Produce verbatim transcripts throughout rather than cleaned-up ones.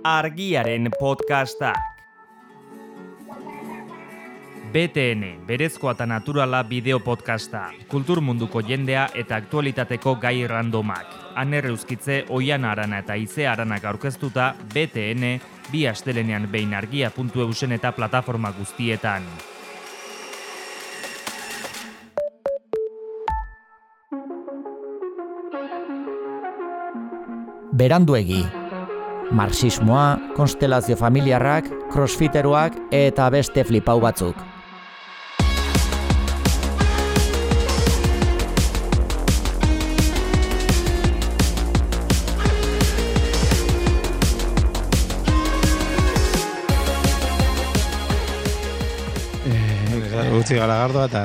Argiaren podcastak. B T N, berezkoa eta naturala bideo podcasta. Kultur munduko jendea eta aktualitateko gai randomak. Aner Euskitze, Oiana Arana eta Ize Aranak aurkeztuta, B T N, bi astelenean behin argia puntu eusen eta plataforma guztietan. Beranduegi. Marxismoa, konstelazio familiarrak, crossfiteroak eta beste flipau batzuk. Gutxi garagardoa eta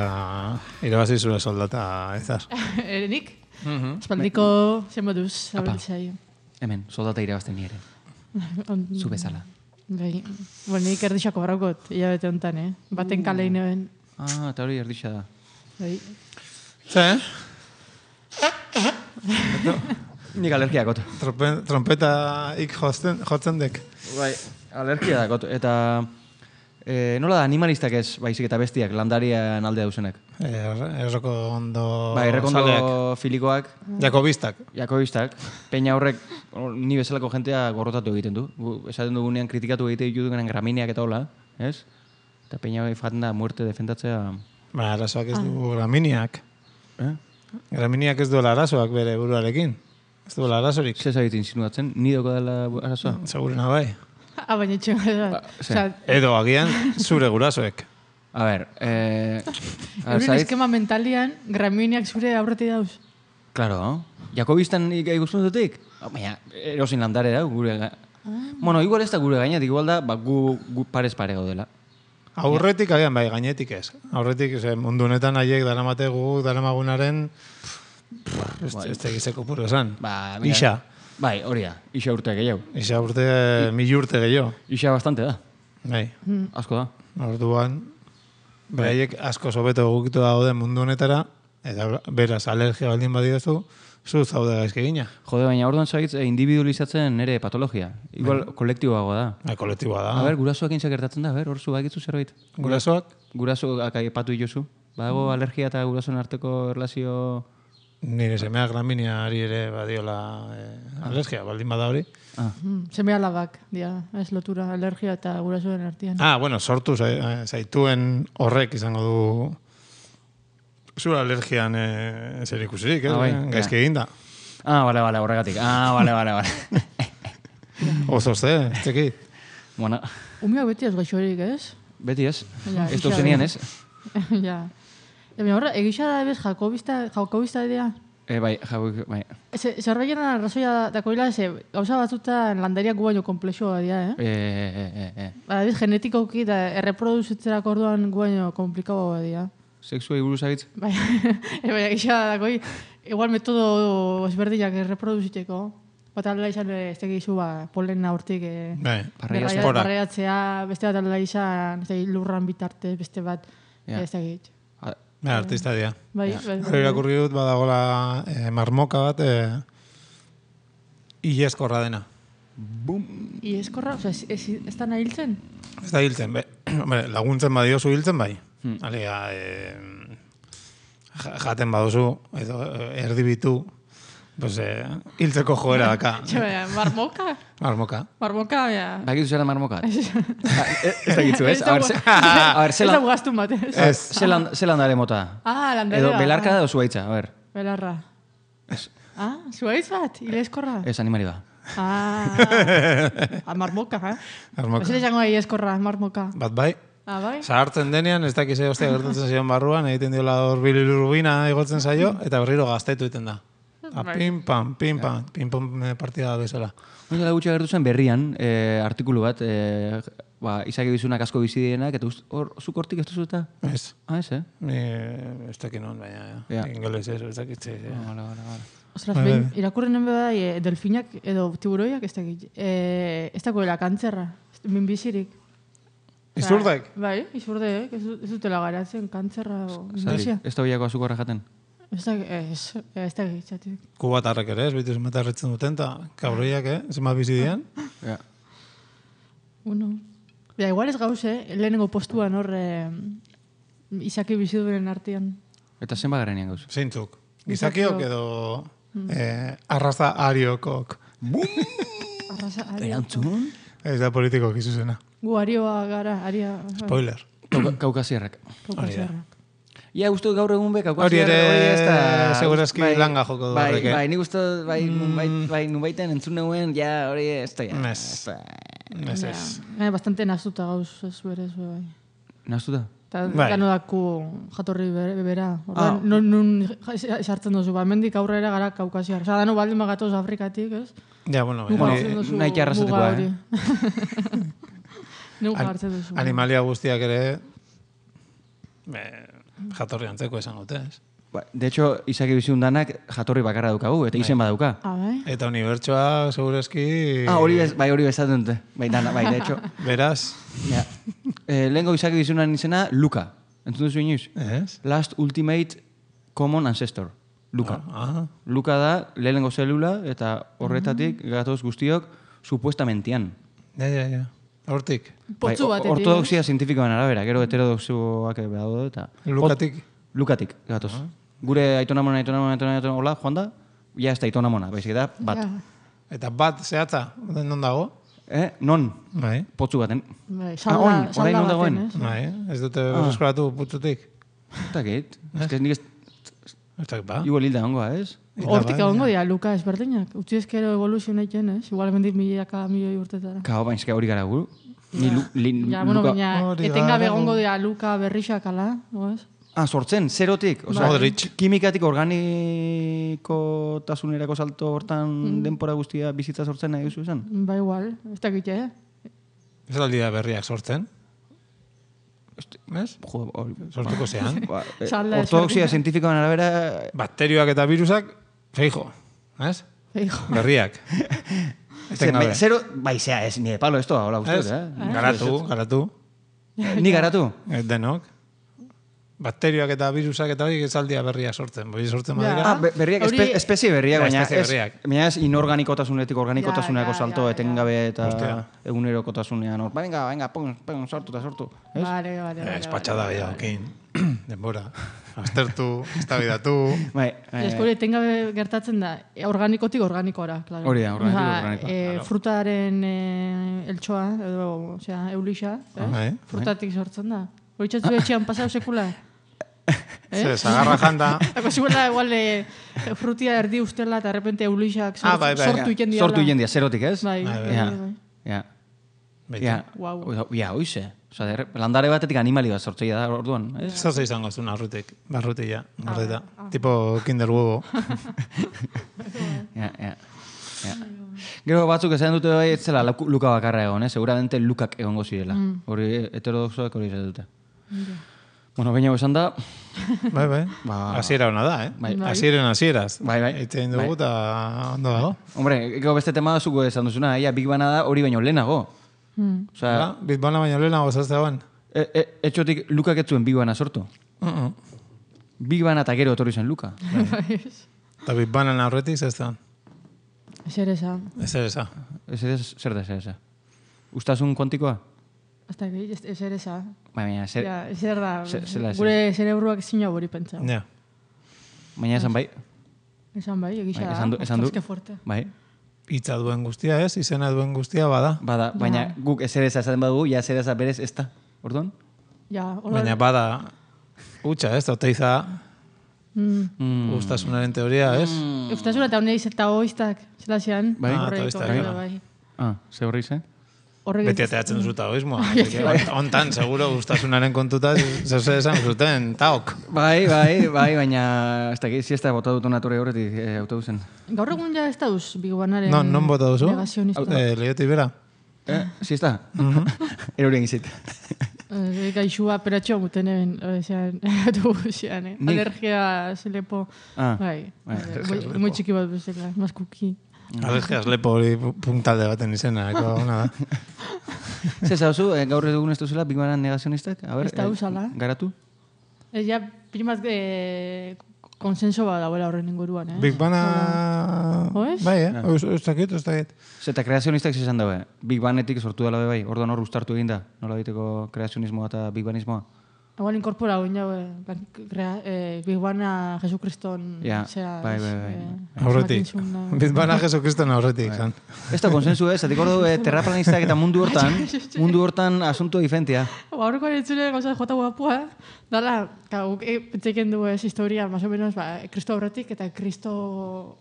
irabazi zure soldata, ezaz. Erenik? Mhm. Espaldiko zen moduz, zabiltzai. Hemen, soldata irabazten nire. Zu bezala. Bai, bueno, nik erdixako baraukot, hilabete honetan, eh? Baten kalein eben. Ah, eta hori erdixa da. Bai. Ze? Nik alergiakot. Trompeta ik jotzen, jotzen dek. Bai, alergia dakot. Eta eh, nola da, animalistak ez, baizik eta bestiak, landarian alde dauzenek. Er, erroko ondo Bai, errekondo zaleak. filikoak, Jakobistak. jakobistak, peina horrek ni bezalako jentea gorrotatu egiten du. Gu, esaten dugunean kritikatu egite dituduen gramineak eta hola, ez? Eta peina hori faten da muerte defendatzea. Ba, arazoak ez du graminiak. Eh? Graminiak ez duela arazoak bere buruarekin. Ez duela arazorik. Zer zait insinuatzen, ni doko dela arazoa? Segurena bai. Ah, baina etxean da. ze? Edo agian zure gurasoek. A ber, eh... Euren eskema mentalian, graminiak zure aurreti dauz. Claro, jakobistan ikusten dutik? Baina, erosin landare da, gure... Ga... Bueno, igual ez da gure gainetik, igual da, ba, gu, gu parez pare gaudela. Aurretik agian bai, gainetik ez. Aurretik, ze, mundu honetan haiek daramate gu, daramagunaren... Ez ez tegizeko puro esan. Ba, Isa. Bai, hori da, isa urte gehiago. Isa urte, mil urte gehiago. Isa bastante da, Bai. asko da. Orduan, beraiek asko sobeto egokitu daude mundu honetara, eta beraz alergia baldin badiozu, zu zaude gaizki gina. Jode, baina orduan zagitz individualizatzen nere patologia. Igual kolektiboagoa da. Ba, kolektiboa da. A ber, gurasoak intzak gertatzen da, a ber, hor zu bagitzu zerbait. Gurasoak? Gurasoak aipatu iozu. Badago alergia eta gurasoen arteko erlazio... Nire semea graminiari ere badiola eh, alergia, baldin bada hori. Ah. Seme alabak, dia, ez lotura, alergia eta gurasoen artean. Ah, bueno, sortu zai- zaituen horrek izango du zure alergian eh, zer ikusirik, eh? Ah, bai, gaizki eginda. Ah, bale, bale, horregatik. Ah, bale, bale, bale. Oso ze, ez tekit. Bueno, Umeak beti ez gaixorik, ez? beti ez. Ja, Ez isa- dauzenian ez. Ja. Eta horra, egisa da ebez jakobista, jakobista idea. E, bai, jau, bai. Zerbait arrazoia dakoila, ze gauza batzutan landariak gu baino komplexua dira, eh? E, e, e, e. Ba, biz, genetikoki eta erreproduzitzerako orduan gu baino komplikagoa dira. Sexua buruz agitz? Bai, e, bai, egisa dakoi, igual metodo ezberdinak erreproduzitzeko. Bat aldela izan, ez tegizu, ba, polena hortik, eh, Bai, Barreia berraia- esporak. barreiatzea, beste bat aldela izan, ez tegiz, lurran bitartez, beste bat, Ja. ez tegiz. Ba, artista dira. Bai, bai, Hori irakurri dut badagola eh, marmoka bat eh, ileskorra dena. Ieskorra, oza, ez, ez, ez da nahi hiltzen? Ez da hiltzen, be. Hombre, laguntzen badiozu hiltzen bai. Alega, eh, ja- jaten baduzu, edo eh, erdibitu, pues, eh, hiltzeko joera daka. Txabea, marmoka? Marmoka. Marmoka, ja. Bakitu zera marmokat? Ez dakitzu, ez? Ez A ber, dago- ze- a ber, Ez da zelan, gaztun bat, ez? Ez. zelan, zelan dare mota? Ah, landarea. Edo belarka da o zuaitza, a ber. Belarra. Ah, zuaitz bat, ileskorra. Ez animari ba. Ah, ah, marmoka, eh? Marmoka. Ez izango da ileskorra, marmoka. Bat bai. Ah, bai? Zahartzen denean, ez dakize hostia gertatzen zion barruan, egiten diola hor bilirubina igotzen zaio, eta berriro gaztetu egiten da. A, pim, pam, pim, pam, pim, pam partida bezala. Hori dela gutxi agertu zen berrian, eh, artikulu bat, eh, ba, izaki bizunak asko bizi dienak, eta ust- hor, zuk hortik ez duzu eta? Ez. Ah, ez, eh? Ni ez dakit non, baina Ja. ingeles ez, ez dakit ze. Ah, Vale, vale, vale. Ostras, Bai, behin, bai. irakurren bai, e, delfinak edo tiburoiak ez dakit. E, ez dagoela kantzerra, minbizirik. Izurdek? Bai, izurdek, ez, du- ez dutela garatzen kantzerra o minbizia. Ez da biako azukorra jaten? Ez da, ez, ez da gitzatik. Kubatarrek ere, ez bitu zenbat erretzen duten, eta kabroiak, eh? Zenbat bizi dian. Ja. Bueno. Ja, igual ez gauz, eh? Lehenengo postuan hor eh, Izaki biziduen artean. Eta zenba garenean gauz? Zeintzuk. Gizakiok edo eh, arraza ariokok. Arrasa, ario. Erantzun? Ez da politikok izuzena. Gu arioa gara, aria... Spoiler. Kaukasiarrak. Kaukasiarrak. Ja, uste gaur egun be, Hori kaukasiarrak ere, ez da... segurazki bai, langa joko du bai, horrek, eh? Bai, nik uste, bai, nunbait, bai, nunbaiten entzun neuen, ja, hori ez da, ja. Mes. ez da. Ez ez. Ja, bastante nazuta gauz, ez berez, bai. Naztu da? Eta Bai. gano daku jatorri bere- bera. Orduan, Ah. nun, nun esartzen duzu, ba, mendik aurrera gara kaukasiar. Osa, dano baldin bagatoz Afrikatik, ez? Ja, bueno, Nuga hori- hartzen duzu nahi arrazatekoa, muga eh? hori. Nuga An- hartzen duzu. Animalia guztiak ere be, jatorri antzeko esan gote, ez? Ba, de hecho, Izaki bizundanak jatorri bakarra daukagu, eta izen badauka. Ah, bai? Eta unibertsoa, segurazki... Ah, hori bez, bai, hori bezaten dute. Bai, dana, bai, de hecho. Beraz, Ja. Eh, lehenko Izaki bizunan izena, Luka. Entzun duzu inoiz? ez? Last Ultimate Common Ancestor. Luka. Ah, Luka da, lehenengo zelula, eta horretatik gatoz guztiok, supuestamentian. ja, ja, ja. Hortik. Potzu Bai, batetik. ortodoxia zientifikoan arabera, gero heterodoxoak daude, eta... Lukatik. Lukatik, gatoz. Gure aitonamona, aitonamona, aitonamona, aitonamona, hola, joan da, ja ez da aitonamona, baizik da, bat. Ja, Eta bat zehatza, non dago? Eh, non, Bai. potzu baten. bai, Ah, salda, oin, orain salda non baten, dagoen? ez? Bai, ez dute berreskuratu putzutik. Eta gait, ez que nik ez, Ez dakit ba. igual hilda hongoa, ez? Hortik bai, egongo dira, Luka ezberdinak. Utzi ezkero evoluzio egiten, ez? Igual mendik milaka milioi urtetara. Kao, bain, eske hori gara guru. Ni lu, li, Ja, bueno, Luka- baina Hori etengabe gara, egongo gu- dira Luka berrixak ala, oez? Ah, sortzen, zerotik. Osea, Modric. kimikatik organikotasunerako salto hortan denpora guztia bizitza sortzen nahi duzu esan? Ba igual, ez dakit, eh? Ez aldi da berriak sortzen. Ez? Jo, hori, Sortuko zean. ba, eh, Salda ortodoxia ezberdina. zientifikoan arabera, Bakterioak eta virusak, feijo. Ez? Eijo. Berriak. ze, Etengabe. me- zero, bai, zea, ez, ni de palo esto, hola Ez? uste, eh? Garatu, garatu. Ni garatu? Eh, Denok. Bakterioak eta virusak eta hori esaldia berriak sortzen. Boi sortzen Ja. badira. Ah, be, berriak, Hori- espe, espezie berriak, Ja, baina espezie ez, berriak. baina ez inorganikotasunetik organikotasunerako Ja, ja, salto ja, ja. etengabe eta Hostia. egunerokotasunean hor. Ba, venga, venga, pon, pon, sortu eta sortu. Ez? Vale, vale, vale. Espatxada gehiagokin. Denbora. Aztertu, eztabaidatu. Bai, bai, Ez hori etengabe gertatzen da, e, organikotik organikora, claro. Hori da, organikotik Osea, organikoa, eh, claro. frutaren eh, eltsoa, edo, osea, eulixa, eh? Bai. Frutatik sortzen da. Hori txatzu etxean pasau sekula. Ze, zagarra janda. Ako ziguela, igual, eh, frutia erdi ustela, eta errepente eulixak Ah, bai, bai. sortu iten diala. Sortu iten dia, zerotik, ez? Bai, Bai, bai, Ja, bai. ja, Beti. ja. Guau. Ja, oize. Osa, derre, landare batetik animali bat sortzeia da orduan, ez? Zer izango zuen arrutik, barrutila, gordeta. Tipo kinder huevo. Ja, ja. Ja. Gero batzuk esan dute bai, ez zela Luka Luka bakarra egon, eh? Seguramente Lukak egongo zirela. Hori heterodoxoak hori esan dute. Bueno, baina esan da, Bai, bai. Ba- Hasiera hona da, eh? Bai. Hasieren hasieraz. Bai, bai. Eitzen dugu eta ondo dago. hombre, gero beste tema zuko esan duzuna, ia Big Bana da hori baino lehenago. Hmm. Osea, Ba, Bitbana baino lehenago zazteagoan. e, e, etxotik Lukak ez zuen Big Bana sortu. Uh-uh. Big Bana eta gero etorri zen Luka. Eta Bitbanan aurretik zazteagoan. Zer eza. Ez ere eza. Ez ez, zer da, zer da. Ustasun kuantikoa? Hasta que ez zer eza. Baina, zer, Ja, zer da, Zer- zela ez. gure zerebruak zina hori pentsa. Ja. baina esan bai, Esan bai, egisa Bai, da. esan du- esan du. Ostras, que fuerte. bai. Hitza duen guztia ez, izena duen guztia bada. Bada, baina guk ezer eza esaten badugu, ja ezer eza berez ez da. Orduan? Ja, hola. Baina bada utxa ez, oteiza Mm. Mm. gustasunaren teoria ez. Eustasuna eta honeiz eta oiztak, zela zian. Bai. Ah, Horrek, eta oiztak, horrek, bai. bai. Ah, ze horri zen? Horrek Beti ateatzen duzu taoismoa. Hontan, seguro, gustasunaren kontuta, zeuze esan zuten, taok. Bai, bai, bai, baina ez dakit, siesta bota dut nature horretik e, autobusen. Gaur egun ja ez dauz Bigobanaren Non, non bota duzu? negazionista. Eh, Leiotik bera. Eh, siesta? Erorien gizit. Eh, Gaixua peratxoa muten eben, zean, autobusean, eh? Nik- Alergia zelepo, Ah, bai. bai. eh, muy- Muy txiki bat bezala, mas kuki. Alergias lepo hori puntalde baten izena, eko ona da. Zer zauzu, eh, gaur egun ez duzela, Big Bang negazionistak? A ber, Ez da eh, uzala. Garatu? Ez ja, primat, eh, konsenso bat dagoela horren inguruan, eh? Big Bana... Oez? Bai, eh? Ez dakit, ez dakit. Eta kreazionistak izan daue. Big Banetik sortu dela bai. Orduan hor ustartu egin da. Nola biteko kreazionismoa eta Big Banismoa. Igual inkorpora guen jau, eh, Big Bana Jesukriston... Ja, zera, bai, bai, bai. eh, Aurretik. asmatzen zuen, Big Bana Jesukriston aurretik, zan. Ez da konsensu ez, zatik ordu eh, terraplanistak eta mundu hortan, mundu hortan asunto diferentia. Ba, horreko aritzule gauza jota guapua, dala, guk e, pentseiken du ez historia, más o menos, ba, Kristo aurretik eta Kristo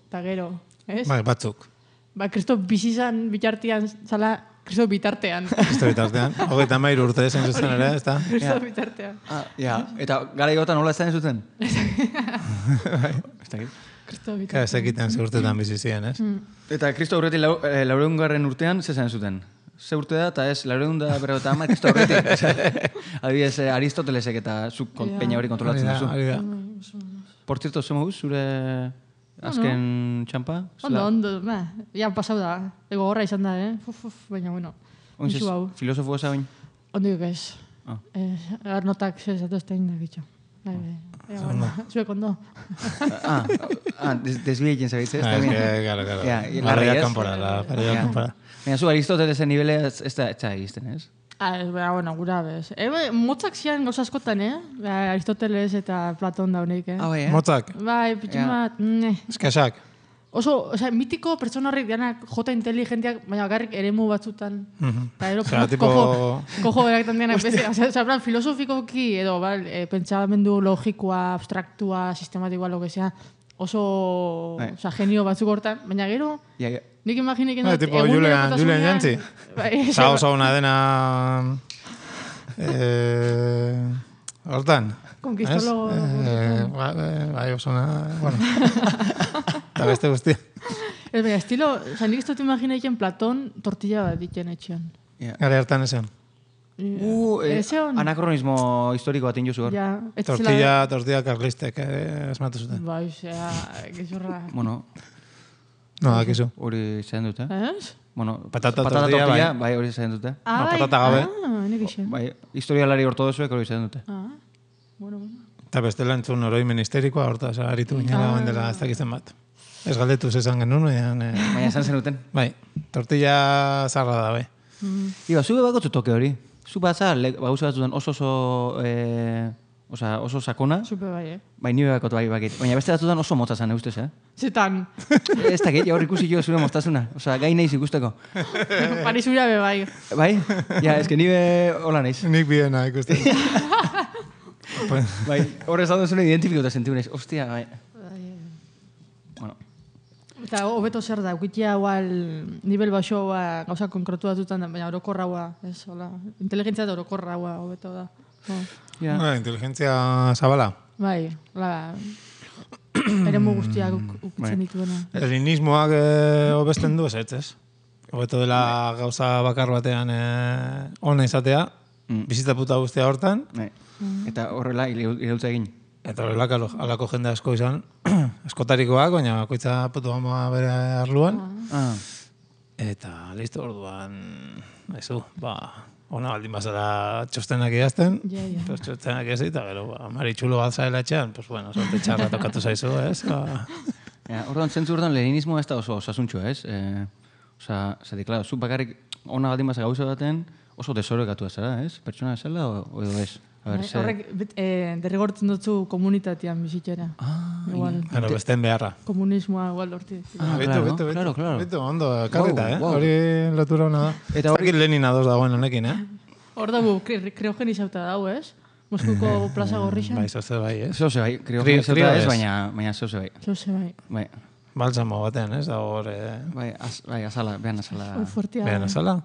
eta gero, ez? Bai, batzuk. Ba, Kristo bizizan bitartean, zala, Kristo bitartean. Kristo bitartean. Hogeita mairu urte zen zuzen ere, ez da? Kristo bitartean. Ah, ja, eta gara igota nola ez da zuten? Ez dakit. Kristo Ka, bitartean. ez ekiten ze urtetan bizi ziren, ez? Eta Kristo aurretik lau, eh, laureungarren urtean, ze zen zuten? Ze urte da, eta ez, laureun da berro eta ama Kristo aurretik. Adibidez, eh, Aristotelesek eta zuk Ja. peina hori kontrolatzen Hori da, duzu. hori da. Por cierto, zemo guz, zure azken txampa? Ondo, ondo, ba, ja, pasau da. Ego gorra izan da, eh? Uf, uf, baina, bueno, Oinzez, musu hau. filosofo eza bain? Ondik ez. Ah. Eh, Arnotak ze zatu ez da inda, gitxo. Bai, bai. Ea, bueno, zuek ondo. Ah, ah des, desbiekin zabitze, ez da Ah, bien. que, claro, claro. Ja, La larri realidad ez? kanpora, la realidad Ja. kanpora. Baina zu Aristotelesen nibelea ez ez da ez da egizten, ez? Ah, ez, baina, bueno, gura bez. E, bai, motzak zian gauza askotan, eh? Ba, Aristoteles eta Platon daunik, eh? Ah, bai, eh? Motzak, Bai, pitxun Ja. bat, ne. eskasak. Oso, osea, mitiko pertsona horrek dianak jota inteligentiak, baina bakarrik eremu batzutan. Mhm. Eta ero, Osea, tipo- kojo, kojo beraktan dianak beste. Osea, osea, plan, filosofikoki edo, bal, e, pentsamendu logikoa, abstraktua, sistematikoa, lo que sea, oso, Bai. osea, genio batzuk hortan, baina gero, Ja, ja. nik imaginik Bai, tipo Julian, Julian Jantzi. Bai, Osa oso una dena... Eh, hortan. Konkistologo. Ez? Eh, ba- eh, bai, oso una... Bueno. Eta beste guztia. Ez baina, estilo, oza, nik ez dut imaginaiken Platon tortilla bat ditzen etxean. Ja. Gara hartan esan. Uh, eh, Ez egon? anakronismo historiko bat injuzu hor. Ja, ez zela- Tortilla, tortilla karlistek eh, esmatu zuten. Bai, zera, gezurra. Bueno, No, akizu. hori zain dute. Ez? Bueno, Patata tortilla, bai. bai, hori zain dute. Ah, bai. patata gabe. Ah, nik isen. Bai, historialari ortodoxoek hori zain dute. Ah, bueno, bueno. Eta bestela entzun oroi ministerikoa, horta, oza, aritu ginela Ah. ah. dela ez dakitzen bat. Ez galdetu zezan genuen, baina... Eh, Baina esan zenuten. bai, tortilla zarra da, bai. Iba, zube bakotzu toke hori. Zu batza, gauza batzutan oso oso... Eh, Osa, oso sakona, Supe bai, eh? bai nire bakot bai bakit. Baina beste batzutan oso motza zen, ustez, eh? Zetan, Ez da, hor ikusi jo zure moztasuna. Osa, gai naiz ikusteko. Parisura be bai. Bai? Ja, ez que nire hola naiz. Nik biena ikusten. Bai, horrez hau duzune identifikota sentiu naiz. Ostia, bai. Bueno, Eta hobeto zer da, ukitia igual nivel baxoa gauza konkretu batzutan, baina orokorraua, ez, hola. Inteligentzia eta orokorraua hobeto da. Oh. ja. Bueno, inteligentzia zabala. Bai, hola, eremu guztiak uk- ukitzen dituena. Elinismoak eh, hobesten du ez ez, ez? Hobeto dela gauza bakar batean eh, ona izatea, Mm. bizitza puta guztia hortan, Bai. Eta horrela irautza egin. eta horrelako alo- halako jende asko izan, eskotarikoak, baina bakoitza putu ama bere arluan, Ah. eta listo orduan, ezu, ba, ona baldin bazara txostenak idazten, Ja, ja. pues txostenak ez eta gero, ba, maritxulo bat zaela etxean, pues bueno, sorte txarra tokatu zaizu, ez? Ba, Ja, orduan, zentzu orduan leninismoa ez da oso osasuntxoa, ez? Eh, Osa, zati, klaro, zu bakarrik ona baldin baza gauza baten oso desorekatu zara, ez? Pertsona esela o, o edo ez? A ber, Bai, ze... Horrek bet- eh, derrigortzen dutzu komunitatean bizitzera. Ah, Igual, Bueno, besten beharra. komunismoa igual horti. Ah, Bitu, claro, bitu, bitu. claro, claro. Bitu, ondo, karrita, Wow, eh? wow. Hori lotura hona da. Eta hori- Ez dakit Lenin ados dagoen honekin, eh? Hor dago, kre- kriogenizauta dago, ez? Moskuko plaza gorrixan. Bai, zoze bai, ez? Zeu ze bai, krio Krio- zeuta krio ez, ez. baina, baina zeu ze bai. Zose bai. Bai, Balsamo batean, ez? Da hor, eh? bai, az, bai, azala, behan azala. Hor fuertia. Behan azala?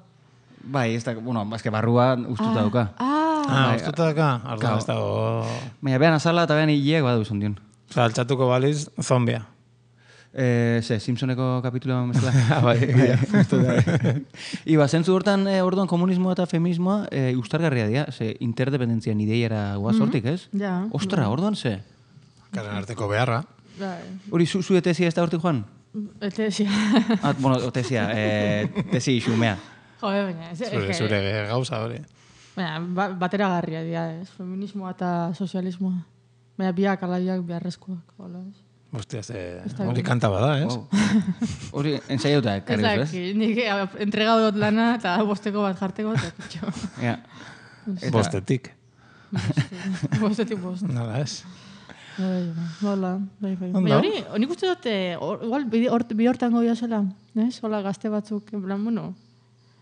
Bai, ez da, bueno, azke barrua ustuta dauka. Ah, Ah, bai, ustuta daka? Arduan claro. ez dago... Baina behan azala eta behan hileak badu izan dion. Osa, altxatuko baliz, zombia. Eh, ze, Simpsoneko kapituloa mesela. Ah, bai, egia. Iba, zentzu hortan, eh, orduan komunismoa eta feminismoa eh, ustargarria dira, ze interdependentzia ideiara guaz hortik, ez? ja. Ostra, orduan ze? Karen arteko beharra. Bai. Hori, zu, zu tesia ez da hortik joan? Eta esia. Ah, bueno, o tesia, eh, tesi xumea. Jode, baina. Ez, Zure, ez, zure gauza hori. Baina, ba, bateragarria dira, ez? Feminismoa eta sozialismoa. Baina biak alaiak beharrezkoak. Hola, ez? Hostia, ze... da Hori bien. kanta bada, ez? Wow. Hori ensaiatuta Ez ekarri duzu, ez? daki, nik entregau dut lana eta bosteko bat jarteko eta kitxo. Ja. Eta- Bostetik. Bostetik bost. Nola, ez? Bai, bai, hola, bai, bai. Ondo. Baina hori, nik uste dut, eh, hor- igual, bide hort- bide hortan gobia zela, ez? Hola, gazte batzuk, en plan, bueno,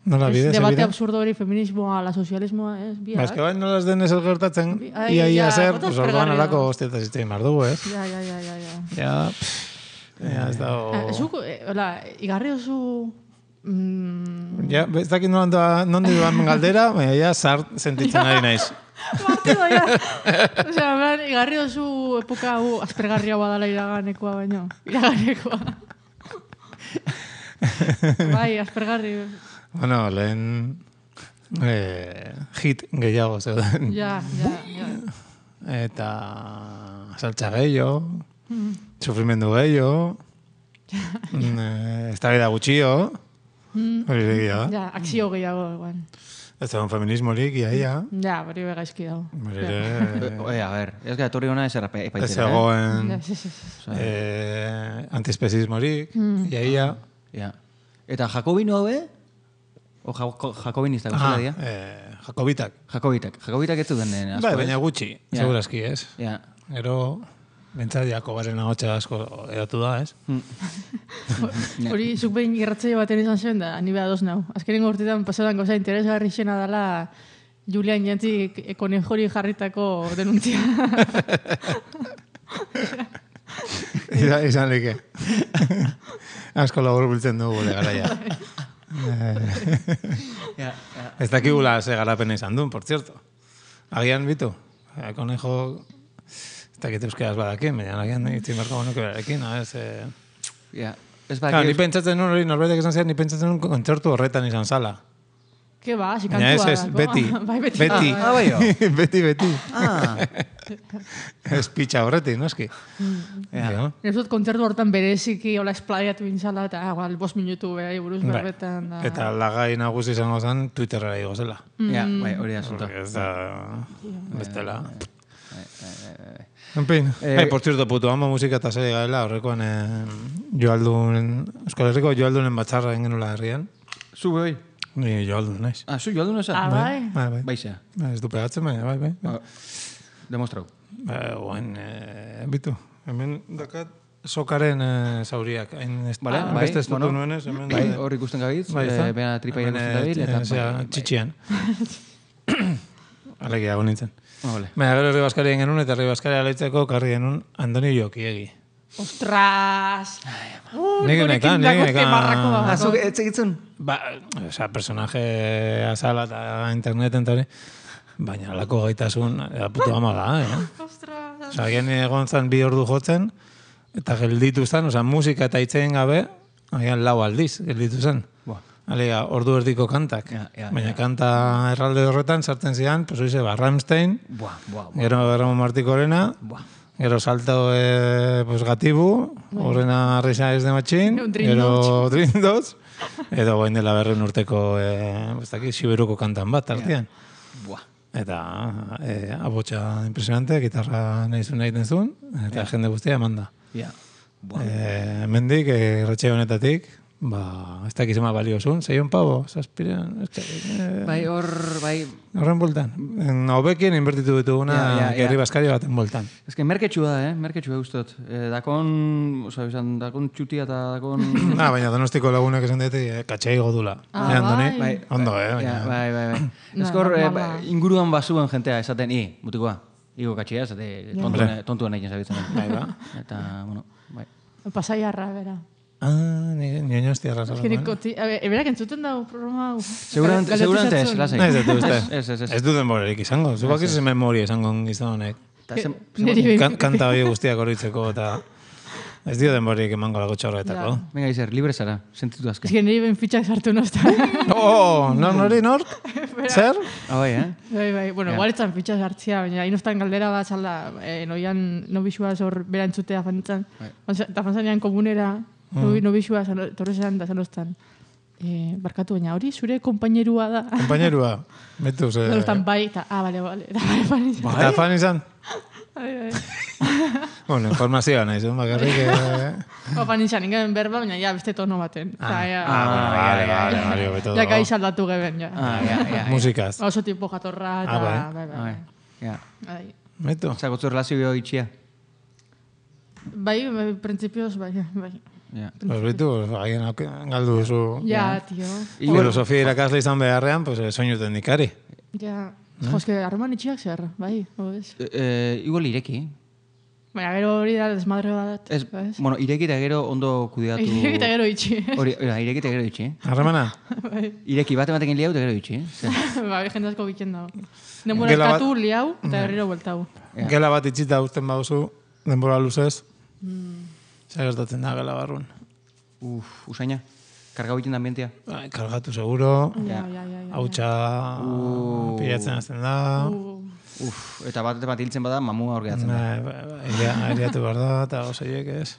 Nola, ez bide, ze debate bide? absurdo hori, feminismoa, la socialismoa, ez? Ba, Biak. eske bain nola ez denez el gertatzen, Bi- ai, ia ia ja, zer, bota pues orduan aspergarria. alako hostietaz iztein behar dugu, ez? Ja, ja, ja, ja, ja. Ja, pff, ja, ez dago... Eh, Zuk, eh, hola, igarri oso... Mm, Ja, ez dakit nola nondi duan galdera, baina ja zart sentitzen ari naiz. Martido, ja. Osea, man, igarri oso epoka hau aspergarria badala iraganekoa baino. Iraganekoa. Bai, aspergarri. Bueno, lehen eh, hit gehiago zeuden. Ja, ja, ja. Eta saltza gehiago, sufrimendu gehiago, mm, eh, eztabaida gutxio, hori egia da. Ja, akzio gehiago, igual. Ez egon feminismorik, ia, ia. Ja, hori begaizki dago. Hori ere, Oe, a ver, ez gara etorri hona ez errape ez epaitera, egoen Ja, sí, sí, sí. eh, antiespezismorik, ia, ia. Ja. Eta Jakobino haue? O jako, Jakobinista, Ah, gozela dia? eh, Jakobitak. Jakobitak. Jakobitak ez zuten den asko, Bai, ez? baina gutxi, Ja. segurazki, ez? Ja. Gero, bentsat Jakobaren ahotsa asko edatu da, ez? Hori, zuk behin irratzaile baten izan zuen da, ni beha doz nau. Azkenengo urtetan pasadan goza interesgarri xena dela Julian Jantzik konejori jarritako denuntzia. Izan, izan like. Asko labur biltzen dugu gure garaia. Ja, ja. Ez dakigula ze garapena izan duen, por cierto. Agian bitu. Eh, Konejo, ez dakit euskeraz badakin, baina agian itzin barko bonuke berarekin, a ez... Eh... Ja. Ez Claro, ni bakit... pentsatzen nuen hori, norbaitek esan zian, ni pentsatzen nuen kontzertu horretan izan zala. Ke ba, si Baina kantua ez, ez, dako. beti. Bai, beti. Beti. Ah, bai, jo. beti, beti. Ah, Ez pitxa horretik, noski. Ja. Jo. Ez dut kontzertu hortan bereziki hola esplaiatu inzala eta ah, igual, bost minutu behar buruz Bai. berbetan. Da. Eta lagai nagusi izango zen Twitterra igo zela. ja, bai, hori da asunto. Porque ez da... Bestela. Bai, bai, bai, bai. En fin, Eh, eh, por cierto, puto amo musika eta serie gaela, horrekoan eh, joaldun, Euskal Herriko joaldunen batzarra egin genula herrian. Zu bai. Ni joaldun naiz. Ah, zu joaldu nesa? Ah, bai. Bai, bai. Baixa. Bai, ez du pegatzen, baina, bai, bai. bai. Ah, Demostrau. Ba, guain, eh, bitu. Hemen dakat sokaren eh, zauriak. Hain ez, Vale, ah, bai, beste ez bueno. dutu nuenez, hemen... Bai, eh, hor ikusten gabitz, bai, eh, ezta? bena tripa Hemen, ikusten dabil, eh, eta... zera, bai, bai. txitxian. Alegia egon nintzen. Ah, vale. Baina gero herri baskarien genuen, eta herri baskaria leitzeko karri genuen Andoni Jokiegi. Ostras! Uh, Nik nekan, nik nekan. Ah, zu ez egitzen? Ba, osea, personaje azala eta interneten eta hori, baina alako gaitasun, eta puto ama da, eh? Ostras! Osea, agian egon zen bi ordu jotzen, eta gelditu zen, osea, musika eta hitzen gabe, agian lau aldiz gelditu zen. Buah. Alega, ordu erdiko kantak. Ja, ja, baina ja. kanta erralde horretan sartzen zian, pues oize, ba, Rammstein, Buah, buah, buah. gero Ramon Martikorena, Buah. gero salto eh, pues, gatibu, horrena risa ez de matxin, Dream gero Dream Dots, edo goin dela berren urteko, eh, ez dakit, Siberuko kantan bat, artean. Buah. Eta eh, abotsa impresionante, gitarra nahi zuen egiten zuen, eta jende guztia eman da. Ja. Buah. Eh, mendik, eh, irratxe honetatik, ba, ez dakiz ema balio zuen, zeion pabo, zazpirean, ez dakit, eh, Bai, hor, bai... horren bultan. En hobekien inbertitu dituguna, Ja, ja, ja. herri baskari baten bultan. Ez que merketxua da, eh? Merketxua ustot. Eh, dakon, oza, izan, dakon txutia eta dakon... Ah, baina donostiko lagunek esan dute, eh, katxai godula. Ah, eh, Andoni? bai. Ondo, eh? Ja, Baina, bai, bai, bai. Na, Ezkor, eh, normala. inguruan basuen jentea esaten, i, mutikoa, igo katxia, esate, tontuan, tontuan egin zabitzen. Bai, ba. Eta, bueno, bai. Pasaiarra, bera. Ah, ni nioño hostia rasa. Ez que nik koti... A ver, eberak entzuten dago programa hau. Seguramente, Galdetu seguramente ez, zatzun. lasai. Ez dut uste. Ez, ez, ez. Ez du denborerik izango. Zubak ez memoria izango gizon honek. Ta zen- Neri behin- Kan, kanta hori guztiak horitzeko eta ez dio denborerik emango lago txorretako. Ja. Venga, Izer, libre zara, sentitu azken. Ez que niri ben fitxak sartu nozta. Oh, nor nori nork? Zer? Ah, bai, eh? Bai, bai, bueno, Ja. igual etzan fitxak sartzia, baina inostan galdera bat zala, eh, noian nobixua zor bera entzutea fantzan. Bai. Eta fantzanean komunera, nobi, nobixua torrezean da zanostan. Eh, barkatu baina hori, zure kompainerua da. Compañerua. Betu, ze... Zanostan bai, eta, ah, bale, bale. Eta, bale, bale. Eta fan izan? Bueno, informazioa nahi zuen, bakarrik... Eh... Opa nintzen, ingen berba, baina ja beste tono baten. Ah, ja, ah, bueno, vale, vale, vale, beto ja, gai saldatu geben, ja. Ah, ja, ja. Musikaz. Oso tipo jatorra, eta... Ah, bai. bai, bai. Ja. Bai. Beto. Zagotzu relazio itxia. Bai, bai, printzipioz, bai, bai. Ja. Pues bitu, haien galdu duzu... Ja, tio. Filosofia irakasle izan beharrean, pues soinuten dikari. Ja, jo, eske, harreman itxiak zer, bai, hoz. Eh, igual ireki. Baina, gero hori da desmadre bat. Ez, bueno, ireki eta gero ondo kudeatu... Ireki eta gero itxi. Hori, ireki eta gero itxi. Harremana? Ireki bat ematekin liau eta gero itxi. Ba, jende asko biken dago. Denbora eskatu, liau, eta berriro bueltau. Gela bat itxita usten bauzu, denbora luzez. Zer gertatzen da gela barrun. Uf, usaina. Karga egiten da ambientia. Bai, kargatu seguro. Ja, ja, ja. Hautsa pilatzen azten da. Uf, eta bat bat hiltzen bada, mamua hor gehatzen da. Airiatu behar da, eta osaiek ez.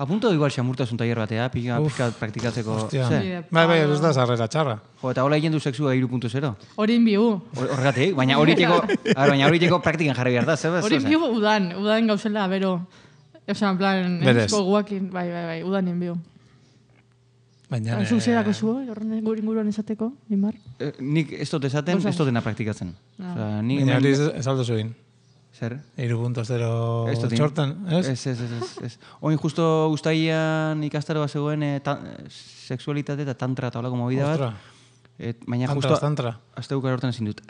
Apunto igual xamurtasun tailer batea, pika, pika praktikatzeko. Hostia. Ze? Bai, bai, ez da zarrera txarra. Jo, eta hola egin du sexua hiru puntu zero. Hori inbiu. Horregatik, baina horieteko, baina horieteko praktikan jarri behar da, zebez? Hori inbiu udan, udan gauzela, bero. Osa, en plan, entzko guakin, bai, bai, bai, udan inbiu. Baina... Zuk zerako zu, horren inguruan esateko, Imar? Nik ez dut esaten, ez dutena praktikatzen. Baina hori ez aldo zuin. Zer? hiru puntu zero txortan, ez? Ez, ez, ez, ez. Oin justo guztaian ikastaroa zegoen sexualitate eta tantra eta holako movida bat. Baina justo... Tantra, azte bukar hortan ezin dut.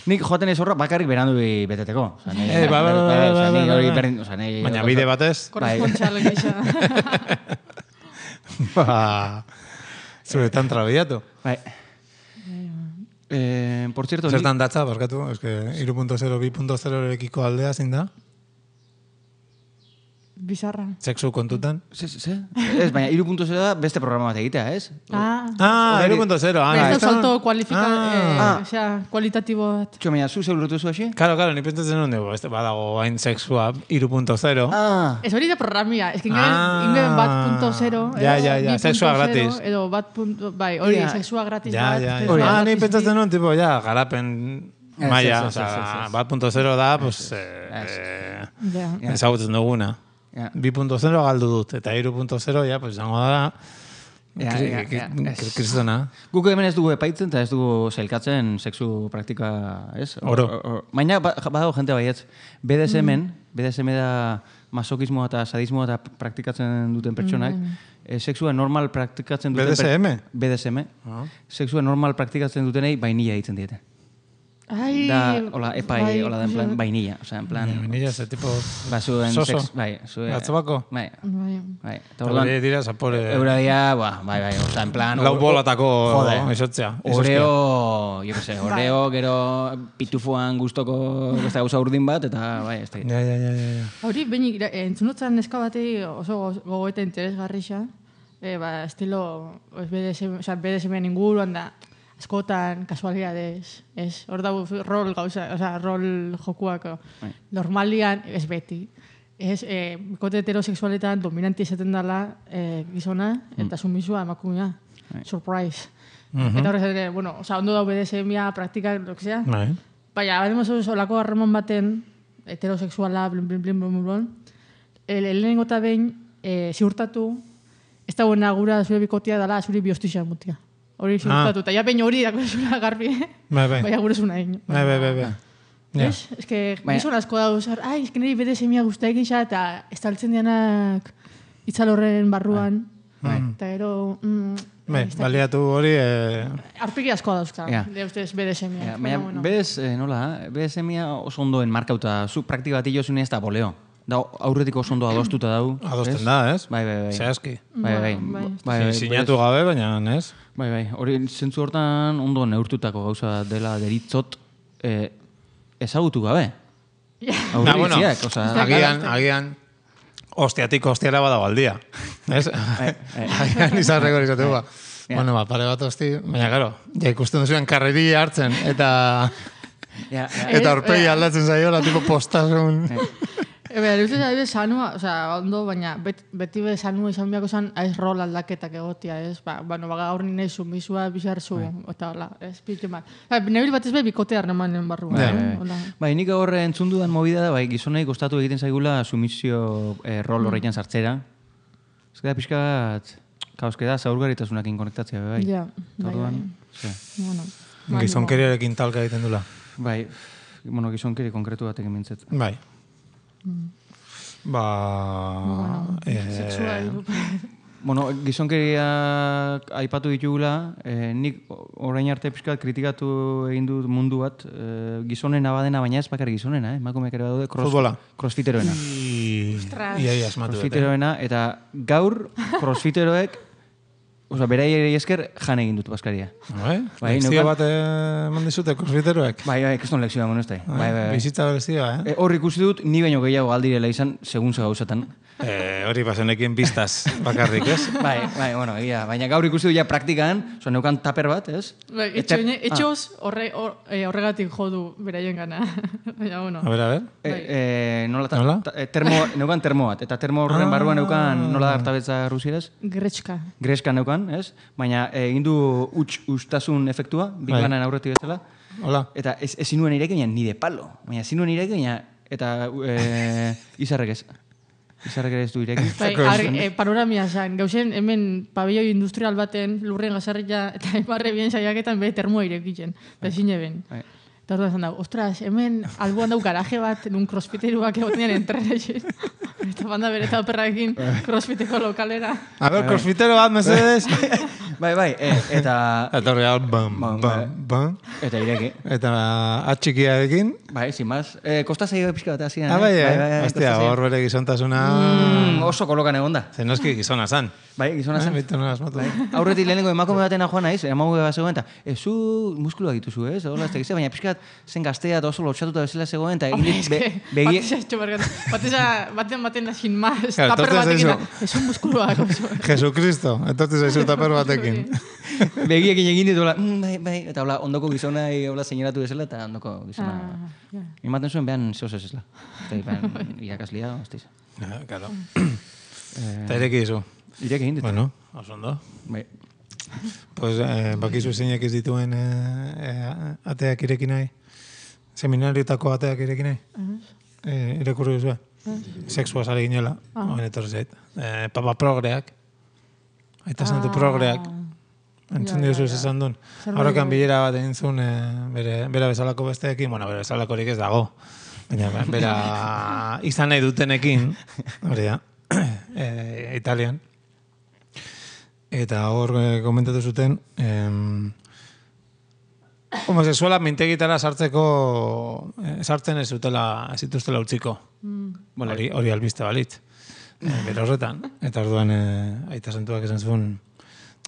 Nik joaten ez horra bakarrik berandu beteteko. Eh, ba, ba, ba, ba, baina bide batez? Korrespontxal gisa. Ba, zure tantra biatu. Bai. Eh, por cierto... Zertan datza, barkatu, es que hiru puntu zero, bi puntu zero ekiko aldea zein da? Bizarra. Sexu kontutan? Ze, ze? Ez, baina hiru puntu zero da beste programa bat egitea, ez? Ah. Ah, hiru puntu zero. Ah, ez da salto kualifikatu, ah. eh, osea, kualitatibo bat. Txo, baina, zu zeurutu zu hasi? Claro, claro, ni pentsatzen nuen dugu, badago hain sexua hiru puntu zero. Ah. Ez hori da programia, ez que ingeben bat punto zero, ja, ja, ja, sexua gratis. Edo bat punto, bai, hori, sexua gratis bat. Ja, ja, ja. Ah, ni pentsatzen nuen, tipo, ja, garapen maia, osea, bat punto zero da, pues, ezagutzen duguna. bi puntu zero galdu dut, eta hiru puntu zero, ja, pues, zango da, kristona. Guk hemen ez dugu epaitzen, eta ez dugu zailkatzen sexu praktika, ez? Oro. Baina, badago jente baietz, B D S M-en, B D S M da masokismoa eta sadismoa eta praktikatzen duten pertsonak, sexua normal praktikatzen duten... B D S M? B D S M. Sexua normal praktikatzen dutenei bainilla egiten diete. Ai, da, hola, epai, hola, da, en plan, vainilla, o sea, en plan... Vainilla, ese tipo... Ba, zuen soso. Sex, bai, zuen... Gatzobako? Bai, bai. Eta hori dira, zapore... Euradia, ba, bai, bai, o sea, en plan... Lau bolatako isotzea. Oreo, jo que sé, oreo, gero pitufuan guztoko beste gauza urdin bat, eta, bai, ez da. Ja, ja, ja, ja. Hori, behin, entzunotzan neska batei oso gogoeta interesgarrixa, ba, estilo, B D S M, o sea, B D S M inguruan da, askotan, kasualidades, ez, hor dago rol gauza, o sea, rol jokuak, normalian, ez beti. Ez, eh, kote heterosexualetan dominanti esaten dela eh, gizona, eta sumisua emakumea. Surprise. Eta horrez ere, bueno, o sea, ondo dago B D S M-a, praktika, lo que sea. Baina, bademos olako harreman baten, heterosexuala, blin, blin, blin, blin, blin, lehenengo eta behin, ziurtatu, ez da buena gura zure bikotia dela, zure biostixan mutia. Hori ziurtatu, eta ja behin hori dako zura garbi, baina gure zuna egin. Bai, bai, bai, bai. Ez? Ez que gizon asko dauz, ai, ez que niri B D S M-a guztia egisa, eta ez taltzen dianak itzalorren barruan, eta gero... Bai, baliatu hori... Arpiki asko dauzka, de ustez B D S M-a. Baina, bez, nola, B D S M-a oso ondo enmarkauta, zu praktika bat ilozune ez da boleo. Da, aurretik oso ondo adostuta dau. Adosten da, ez? Bai, bai, bai. Zehazki. Bai, bai. Sinatu gabe, baina, ez? Bai, bai. Hori, zentzu hortan ondo neurtutako gauza dela deritzot ezagutu gabe. Aurritziak, oza... Agian, agian, ostiatik ostiara badago aldia. Ez? Agian izarreko izateko ba. Bueno, ba, pare bat osti, baina, gero, ja ikusten duzuen karreri hartzen, eta... Eta orpegi aldatzen zaiola, tipo postasun... Ebe, luzez adibidez sanua, o sea, ondo, baina bet, beti be sanua izan biako zan, aiz rol aldaketak egotia, ez? Ba, bueno, baga gaur nina izu, misua bizar zu, eta hola, ez, pite mal. Ba, nebil bat ez be, bikote harremanen barru. Bai, bai. Bai, nik horre entzun dudan movida da, bai, gizonei kostatu egiten zaigula sumisio eh, rol horretan sartzera. Ez da pixka bat, kaos, da, zaurgaritasunakin konektatzea, bai. Ja, bai, bai. Bueno, gizonkeriarekin talka egiten dula. Bai, bueno, gizonkeri konkretu batekin mintzet. Bai. Mm. Ba... Bueno, eh, sexual. Bueno, gizonkeriak aipatu ditugula, eh, nik orain arte pixkat kritikatu egin dut mundu bat, eh, gizonena badena, baina ez bakar gizonena, eh? Emakumeak ere badaude cross, Futbola. crossfiteroena. Ia, ia, asmatu dut. Crossfiteroena, eta gaur crossfiteroek, oza, beraiei esker jan egin dut baskaria. Bai, Bai, lekzio neukan- bat eman dizute crossfiteroek. Bai, bai, keston lekzioa, bueno, ez da. Bai, bai, bai. Bizitza berezioa, eh? Eh, Hor ikusi dut, ni baino gehiago aldirela izan, segun ze gauzatan. Eh, hori bazenekien biztaz bakarrik, ez? Bai, bai, bueno, egia. Baina gaur ikusi dut ja praktikan, oza, neukan taper bat, ez? Bai, Eta- etxo, etxoz horre, hor, eh, horregatik jodu beraien gana. Baina, bueno. A ber, a ber. Eh, eh, nola, ta, Nola? ta, eh, termo, neukan termo bat, eta termo horren barruan neukan, nola da hartabetza rusieraz? Gretxka. Greska neukan, ez? Baina eh, egin du huts ustasun efektua, Big Bai. Bangen aurretik bezala. Hola. Eta ez, ez zinuen ireki, baina ni de palo. Baina zinuen ireki, baina, eta eh, izarrek ez. Izarrek ere ez du ireki. Bai, ar, eh, panoramia zain. Gauzen hemen pabelloi industrial baten lurren gazarria eta emarre bien saiaketan be termoa irekitzen. Eta ezin eben. Bai. Eta orduan zan dago, ostras, hemen alboan dau garaje bat, nun crossfiteruak egotenean entrenesin. Eta banda bere eta operraekin crossfiteko lokalera. A ber, crossfitero bat, mesedez. Bai, bai, eh, eta... Eta horri hau, bam, Bam, bam, bam. Eta ireki. Eta atxikiarekin. Bai, sin más. Eh, kosta zaio pixka bat hasian. Ah, bai, eh? eh? Hostia, hor bere gizontasuna... Mm, oso kolokan egonda. Zen noski gizona zan. Bai, gizona zen. Bitu nola asmatu. Aurretik lehenengo emakume batena joan naiz, emakume bat zegoen, eta ez zu muskuluak dituzu, ez? Hola, ez tegize, baina pixkat zen gaztea eta oso lotxatuta bezala zegoen, eta egin dit, be- begi... Batez ez txobarkat. Batez baten baten da sin más. Claro, Taper entonces batekin eso. da. Ez un muskuloak. oso. Jesucristo, entonces zaizu taper batekin. begiekin egin ditu, hola, mm, bai, bai, eta hola, ondoko gizona, hola, seinalatu bezala, eta ondoko gizona... Ah, ja. Ematen zuen behan zehoz ez ezla. Eta behan irakaslia, hostiz. Ja, claro. Eta ireki dizu. Irek egin ditu. Bueno, oso ondo. Bai. Pues, eh, bakizu zeinek ez dituen eh, eh, ateak ireki nahi. Seminariotako ateak ireki nahi. Eh, irakurri duzu. Sexua sale ginela, hoen etorri zait. Eh, papa progreak. Aita santu progreak. Entzun diozu ez esan duen. Horrekan bilera bat egin zuen eh, bere, bera bezalako besteekin, bueno, bera bezalakorik ez dago. Baina bera izan nahi dutenekin, hori da, eh, Italian. Eta hor eh, komentatu zuten, em, homosexuala mintegitara sartzeko, eh, sartzen ez zutela, ez zituztela utziko. Hori, hori albiste balitz. Eh, bere horretan. Eta orduan eh, aita santuak esan zuen,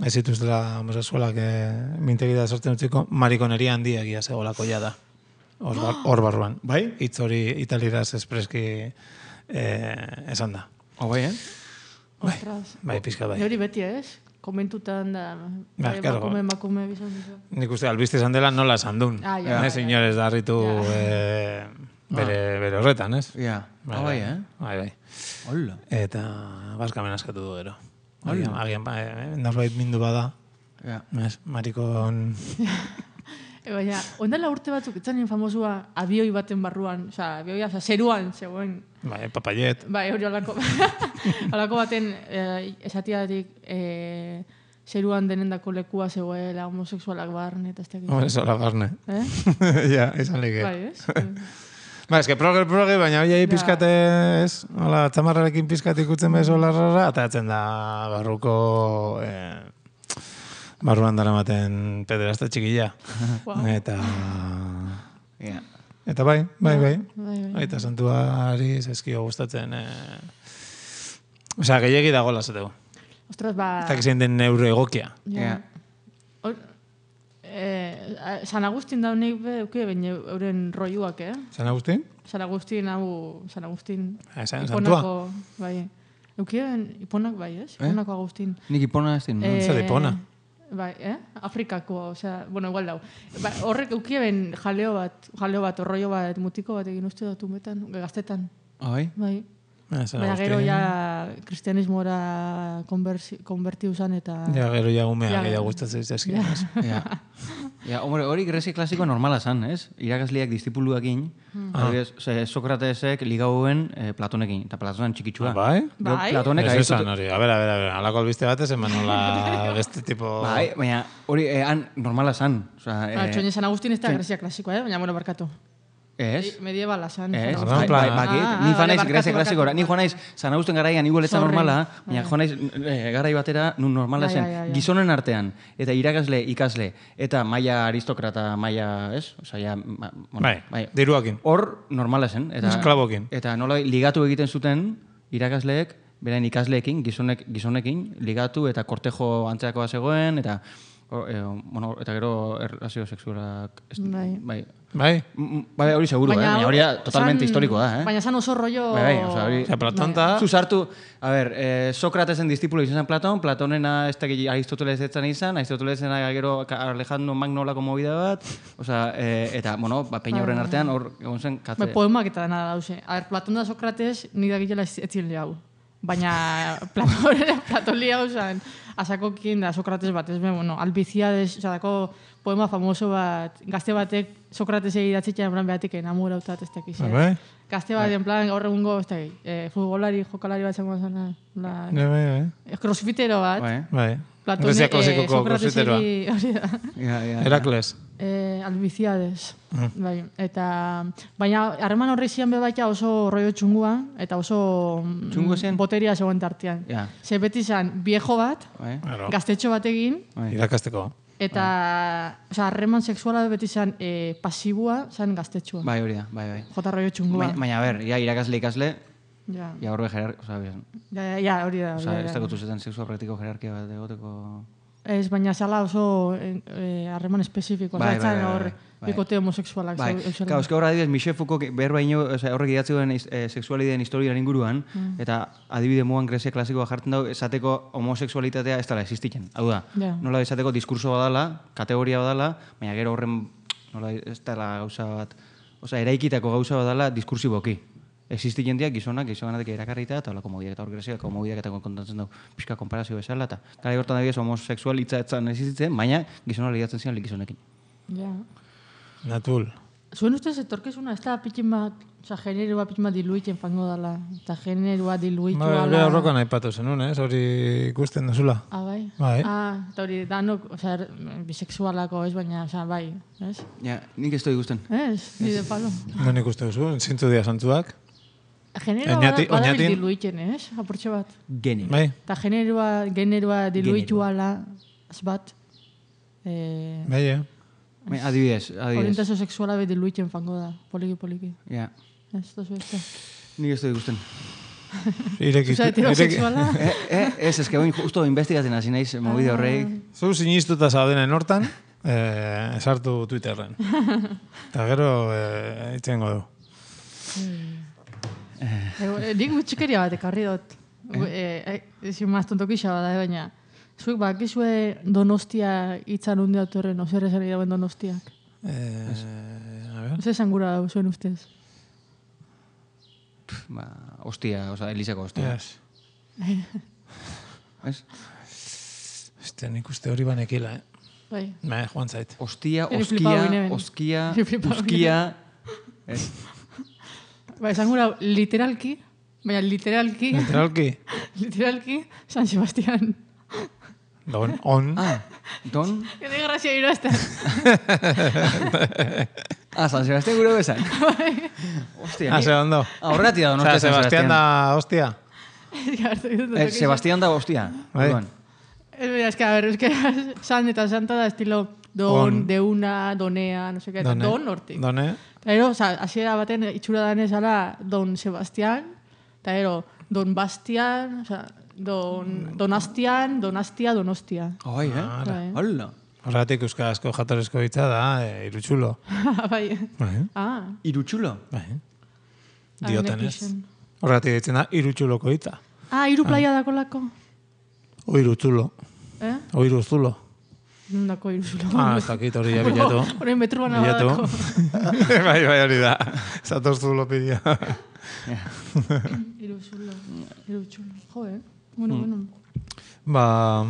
ez zituztela homosexualak eh, mintegitara sartzen utziko, marikoneria handia egia zegolako ja da. Hor, bar, hor barruan. Bai? Hitz hori italiraz espreski eh, esan da. Oh, bai, eh? Bai, Ostras. bai, pizka bai. Hori beti ez? Komentutan da... Ba, bai, claro. Makume, makume, bizan dizu. Nik uste albiste esan dela nola esan duen. Ah, ja, Ez ja, inorez darritu eh, bere, bere horretan, ez? Ja. Ah, bai, eh? Bai, bai. Hola. Eta bazkamen askatu du gero. Agian, agian ba, eh, norbait mindu bada, Ja. ez? Marikon... E, baina, ondala urte batzuk, etzanen famosua abioi baten barruan, oza, abioia, oza, zeruan, zegoen, Bai, papaiet. bai, hori olako, olako baten eh, esatiatik eh, zeruan denendako lekua zegoela homosexualak barne, eta ez dakit. Hombre, sola barne. Eh? Ja, izan leke. Bai, ez? Ba, eske proge, proge, baina hoi pizkate, ez? Hola, txamarrarekin pizkat ikutzen bezo larrara, eta atzen da barruko... Eh, barruan daramaten pederasta txikilla. Wow. Eta... Ja. Eta bai, bai, bai. Bai, bai. Aita santuari zezkio gustatzen... Eh... Osea, gehiagi dago lasatego. Ostras, ba... Eta gizien den neuro egokia. Ja. Ja. Hor, eh, San Agustin daunik be, euke, baina euren roiuak, eh? San Agustin? San Agustin, hau, San Agustin... Ah, San Santua? bai. Eukien, iponak bai, ez? Iponako Agustin. Nik ipona ez din, no? Eh, Zer ipona? Bai, eh? Afrikako, osea, bueno, igual dau. Ba, horrek eukien jaleo bat, jaleo bat, orroio bat, mutiko bat egin uste dut umetan, gaztetan. Bai? Bai. Eh, San Baina gero Agustin. ja kristianismora konversi- konbertiu zan eta... Ja, gero ja umea Ja. gehiago gustatzen zaizkio. Ja. Ja, hombre, hori Grezia klasikoa normala zan, ez? Irakasleak distipuluakin, adibidez, ze Sokratesek ligauen eh, Platonekin, eta Platonen txikitsua. Bai? Gero Bai? Platonek Ez Aristote- esan hori. A ber, a ber, a ber. Alako albiste bat ez eman nola beste tipo... Bai, baina hori eh, han normala zan. Osea, Ah, eh, Txoin San Agustin ez da Grezia klasikoa, eh? Baina, bueno, barkatu. ez? Mediebala zan. Ez, San Orduan, bai, Agustin. bai, plan- bakit, Ah, ni ah, joan naiz barkatu, Grezia barkatu, klasikora, ni joan naiz San Augusten garaian igual ez da Sorry. normala, baina joan naiz eh, garai batera nun normala Ja, zen, ja, ja, ja. gizonen artean, eta irakasle, ikasle, eta maila aristokrata, maila, ez? Osea, ja, ma- bueno, Bai, diruakin. Hor normala zen. Eta, Esklabokin. Eta nola ligatu egiten zuten irakasleek, berain ikasleekin, gizonek, gizonekin, ligatu eta kortejo antzeakoa zegoen, eta o, e, bueno, eta gero erlazio sexualak... ez- Bai. Bai. Bai? Mm, Bai, hori seguro, eh? Baina hori da totalmente zan- historikoa da, eh? Baina zan oso rollo... Bai, bai, osea, hori... Osea, Platon ta... Zu sartu, a ber, eh, Sokratesen distipulo izan zen Platon, Platonena ez da Aristoteles etzan izan, Aristotelesena gero Alejandro Magnolako movida bat, osea, eh, eta, bueno, ba, peina horren artean, hor, egon zen, katze... Bai, poemak eta dena dauze. A ver, Platon da Sokrates nik dakitela ez etzin liau. Baina Platon, Platon liau zan, asakokin da Sokrates bat, ez ben, bueno, Albiziades, oza, dako poema famoso bat, gazte batek Sokratesei idatzitxan en plan behatik enamorautat ez dakiz. Bai? Gazte bat, en plan, gaur egungo, ez dakit, eh, futbolari, jokalari bat zango zana, la, Bai, bai, bai. crossfitero bat, Bai, Bai. Platone, Grezia eh, klasikoko crossfiteroa. Sokrateseri, hori da. ja, ja. Herakles. Eh, Albiziades. Bai, eta baina harreman horri zian bebaita oso rollo txungua eta oso mm, Txungo zen? boteria zegoen tartean. Ja. Ze beti zan viejo bat, Bai, Claro. gaztetxo batekin, bai. Irakasteko. eta osea, harreman sexuala beti zan eh, pasibua, zan gaztetxoa. Bai, hori da, bai, bai. Jota rollo txungua. Baina, baina, a ber, ja, irakasle ikasle, Ja, ja horbe jerar... Osa, ja, ja, ja, hori da. osa, hori ez da. dagotu zetan sexua praktiko jerarkia bat egoteko... Ez, baina zala oso eh, harreman espezifikoa. Bai, Bai, bai, bai, hor bai, bai. bikote homosexualak. Bai, zeu- eusela. claro, eske hor adibidez, Michel Foucault behar baino, o sea, horrek idatzi duen e, sexualideen historiaren inguruan, eta adibide moan Grezia klasikoa jartzen dago, esateko homosexualitatea ez dela existitzen. Hau da, Ja. nola esateko diskurso badala, kategoria badala, baina gero horren, nola ez dela gauza bat, osea, eraikitako gauza badala diskursiboki. Existitzen diak gizonak, gizonatik erakarrita, eta holako mobiak eta hor Greziako mobiak eta kontatzen dugu pixka konparazio bezala, eta gara hortan adibidez homosexual hitza etzan existitzen, baina gizonak ligatzen ziren gizonekin. Ja. Natul. Zuen ustez, etorkezuna, ez da pitin bat, oza, generoa pitin bat diluitzen fango dala, eta generoa diluitu Ba, ala... bera horrokan aipatu zenun, ez? Hori ikusten duzula. Ah, bai? Bai. Ah, eta hori, danok, oza, er, bisexualako, ez, baina, oza, bai, ez? Ja, nik ez doi guzten. Ez, ni de palo. Non ikuste duzu, zintzu dia santzuak. Generoa Oñati- bada, bada oñatin- diluitzen, ez? Apurtxe bat. Geni. Bai? Eta generoa, generoa diluitu ala, ez bat, eh, Bai, eh? Bai, Adibidez, adibidez. orientazio sexuala be diluitzen fango da, poliki, poliki. Ja, Ez, tozu ez da. nik ez doi guzten. Ireki, Oza, heterosexuala? eh, eh, ez, eske boin justo investigatzen hasi naiz, movide horrek. Zu sinistuta zaudenen hortan, eh, esartu Twitterren. Eta gero, eh, itxengo du. Eh, Nik gutxikeria bat ekarri dut. Eh, eh, ezin maz tontokisa bada, eh, baina. Zuek bakizue Donostia hitzan hunde autorren, ozer esan dauen Donostiak. Eh, a ver. Ozer esan gura dau zuen ustez. Ba, ostia, oza, Elisako ostia. Yes. Ez? Este, nik uste hori banekila, eh? Bai. Bai, joan zait. Ostia, Eri flipau oskia, ginen. oskia, Eri flipau uskia... Ez? Ba, esan gura literalki, baina literalki, Literalki, literalki, San Sebastián. don, on. Ah, don... Gede grazia irazten. Ah, San Sebastián gure bezan. Ostia, Ah, ni... ze ondo. Ah, horregatik da Osea, donostia San Sebastián Sebastián. da hostia. Eh, Sebastián da ostia. Bai. Orduan. Es verdad, es que, a ver, es que San eta Santa da estilo don, On. de una, donea, no sé qué, Done. don hortik. Done. Eta gero, oza, hasiera baten itxura danez ala Don Sebastián, eta gero, Don Bastian, oza, Don, Donastian, Donastia, Donostia. Ai, eh? Bai. Hola. Horregatik euskarazko jatorezko hitza da, eh, irutxulo. bai. Bai, Ah, Irutxulo. bai. I'm Diotenez. Epison. Horregatik ditzen da, irutxuloko hitza. Ah, iru playa dakolako. O irutzulo. Eh? O iruzzulo. Nundako iruzulo. Ah, ez dakit hori ja bilatu. Hori metruan Bilatu. abadako. Bai, bai, hori da. Zatorzu lopidia. Iruzulo. Iruzulo. Jo, eh? Bueno, bueno. Ba,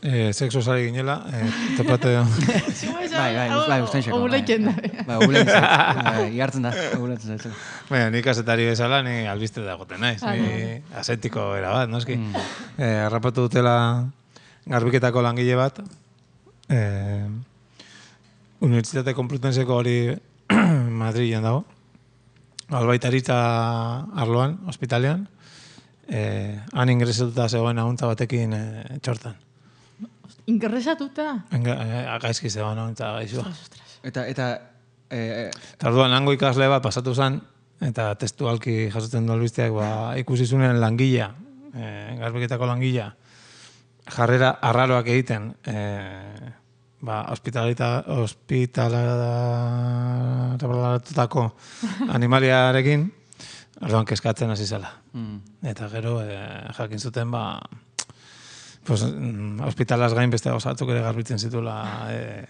eh, sexo sari ginela, eh, topate... Bai, bai, bai, usten xeko. Oguleiken da. Bai, oguleiken zait. Iartzen da, oguleiken zait. Baina, nik azetari bezala, ni albiste da goten naiz. Ni asetiko era bat, noski. Eh, harrapatu dutela garbiketako langile bat, eh, Unibertsitate Konplutenseko hori Madrilen dago, albaitaritza arloan, ospitalean, eh, han ingresatuta zegoen ahuntza batekin eh, txortan. Ingresatuta? Enga, eh, gaizki zegoen ahuntza gaizua. Eta, eta... Eh, Eta orduan, hango ikasle bat pasatu zen, eta testualki jasotzen du albisteak, ba, ikusi zunen langilea, eh, garbiketako langilea, jarrera arraroak egiten, eh, ba, hospitalaratutako animaliarekin, orduan kezkatzen hasi zela. mm. Eta gero, eh, jakin zuten, ba, pues, mm, hospitalaz gain beste osatzuk ere garbitzen zituela eh,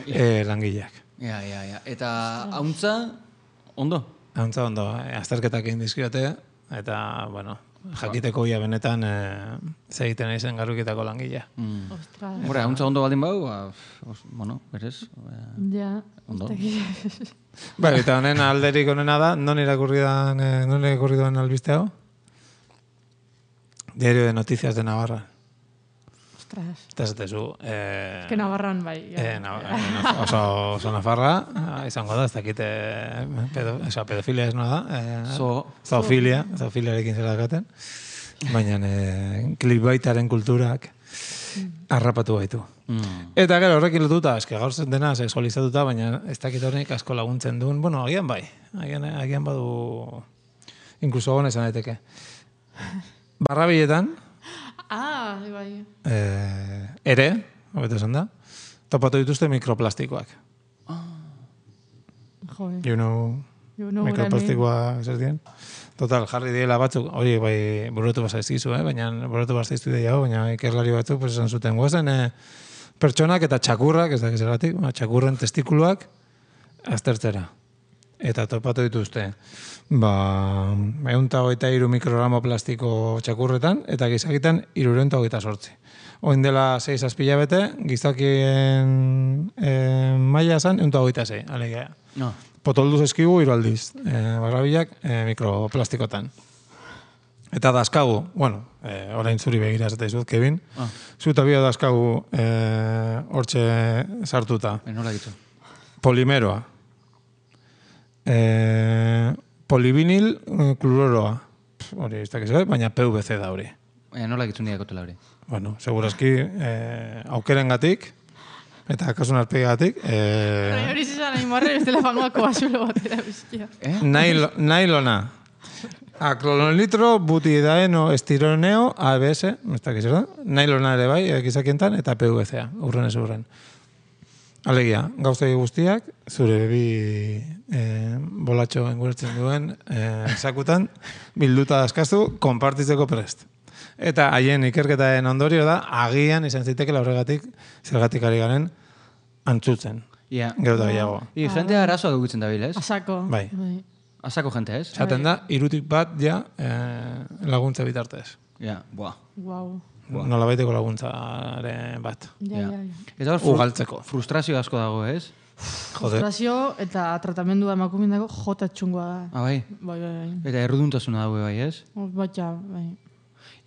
eh, langileak. Ja, ja, ja. Eta hauntza, ondo? Hauntza ondo, eh, azterketak egin dizkiote, eta, bueno, jakiteko ia benetan eh, zegiten aizen garbiketako langilea. Mm. Ostras. Hora, hauntza ondo baldin bau, ba, os, bueno, berez. Ja. Ondo. Bai, eta honen alderik honena da, non irakurri dan, eh, non irakurri duen albiste hau? Diario de Noticias de Navarra. Ostras. Eta esatezu, eh, Que Navarran bai. eh, na, eh, oso, oso nafarra, eh, izango da, ez dakite, eh, pedo, oza, pedofilia ez noa da, eh, Zo. zoofilia, zoofiliarekin zera dakaten, baina eh, klibaitaren kulturak harrapatu baitu. Mm. Eta gero horrekin lotuta, eske gaur zen dena sexualizatuta, baina ez dakit horrenik asko laguntzen duen, bueno, agian bai, agian, agian badu, inkluso gona esan daiteke. Barrabiletan, Ah, bai. eh, ere, hobeto esan da, topatu dituzte mikroplastikoak. Jo, eh. You know, You know mikroplastikoa zer dien? Total, jarri diela batzuk, hori bai burutu bazaizkizu, eh? baina burutu bazaiztu dira, baina ikerlari batzuk pues, esan zuten guazen eh, pertsonak eta txakurrak, ez da gizeratik, txakurren testikuluak aztertzera. Eta topatu dituzte, ba, ehunta hogeita hiru mikrogramo plastiko txakurretan, eta gizakitan hirurehun eta hogeita zortzi. Oin dela sei zazpila bete, gizakien eh, maila zen ehunta hogeita sei, alegia. No. Potolduz eskigu hiru aldiz, eh, barrabilak eh, mikroplastikotan. Eta dazkagu, bueno, eh, orain zuri begira ez eta izut, Kevin, Ah. zuta bia dazkagu eh, hortxe sartuta. Eh, nola gitu. Polimeroa. Eh, polivinil eh, klororoa. Pff, hori ez dakiz, baina P V C da hori. Eh, nola gitu nire kotela hori. Bueno, segurazki eh, aukerengatik eta kasun arpegatik eh, Hori zizan nahi marre bestela fangoako basulo batera bizkia. Eh? nailo, nailona. Aklonolitro, butidaeno, estironeo, A B S, ez dakiz, da? Nailona ere bai, gizakientan, eta P V C-a, urren ez urren. Alegia, gauzei guztiak, zure bi eh, bolatxo engurtzen duen eh, sakutan, bilduta dazkazu, konpartitzeko prest. Eta haien ikerketaren ondorio da, agian izan zitekela horregatik, zergatik ari garen, antzutzen. Ja. Gero da gehiago. I, jentea arazoa dugutzen dabil, ez? Asako. Bai. Asako jente, ez? Zaten da, irutik bat ja eh, laguntza bitartez. Ja, boa. Wow. Nola baiteko laguntzaren bat. Ja, Ja. ja, ja. Eta hor, fru- Ugaltzeko. frustrazio asko dago, ez? Jode. Frustrazio eta tratamendua emakumin dago jota txungoa da. Ah, bai. Bai, bai, bai. Eta erruduntasuna dago, bai, ez? Batxa, bai.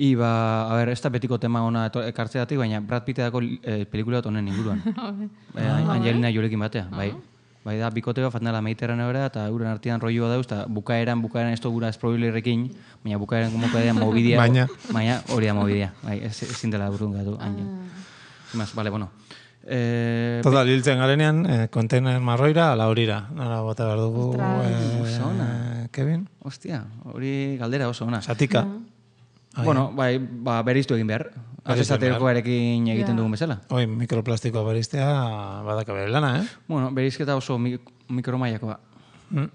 I, ba, a ber, ez da betiko tema ona eto- ekartzeatik, baina Brad Pitteko eh, pelikula bat honen inguruan. eh, Angelina Jolekin batea, bai. Bai da, bikote bat fatnala Mediterraneora, eta euren artean rolloa dauz, eta bukaeran, bukaeran ez gura spoilerrekin, baina bukaeran gomoko da mobidia. Baina. Baina hori da mobidia. Bai, ez, ezin dela burun gatu. Mas, vale, bueno. Eh, Total, hiltzen garenean, eh, kontener marroira, ala horira. Nola bota behar dugu, Ostras. Oso ona. eh, Kevin? Ostia, hori galdera oso ona. Satika. Ai, Bueno, bai, ba, bereiztu egin behar. Bereiztu egin Azesatekoarekin egiten Ja. dugun bezala. Oi, mikroplastikoa beriztea badaka bere lana, eh? Bueno, bereizketa oso mi mikromaiakoa. Mm.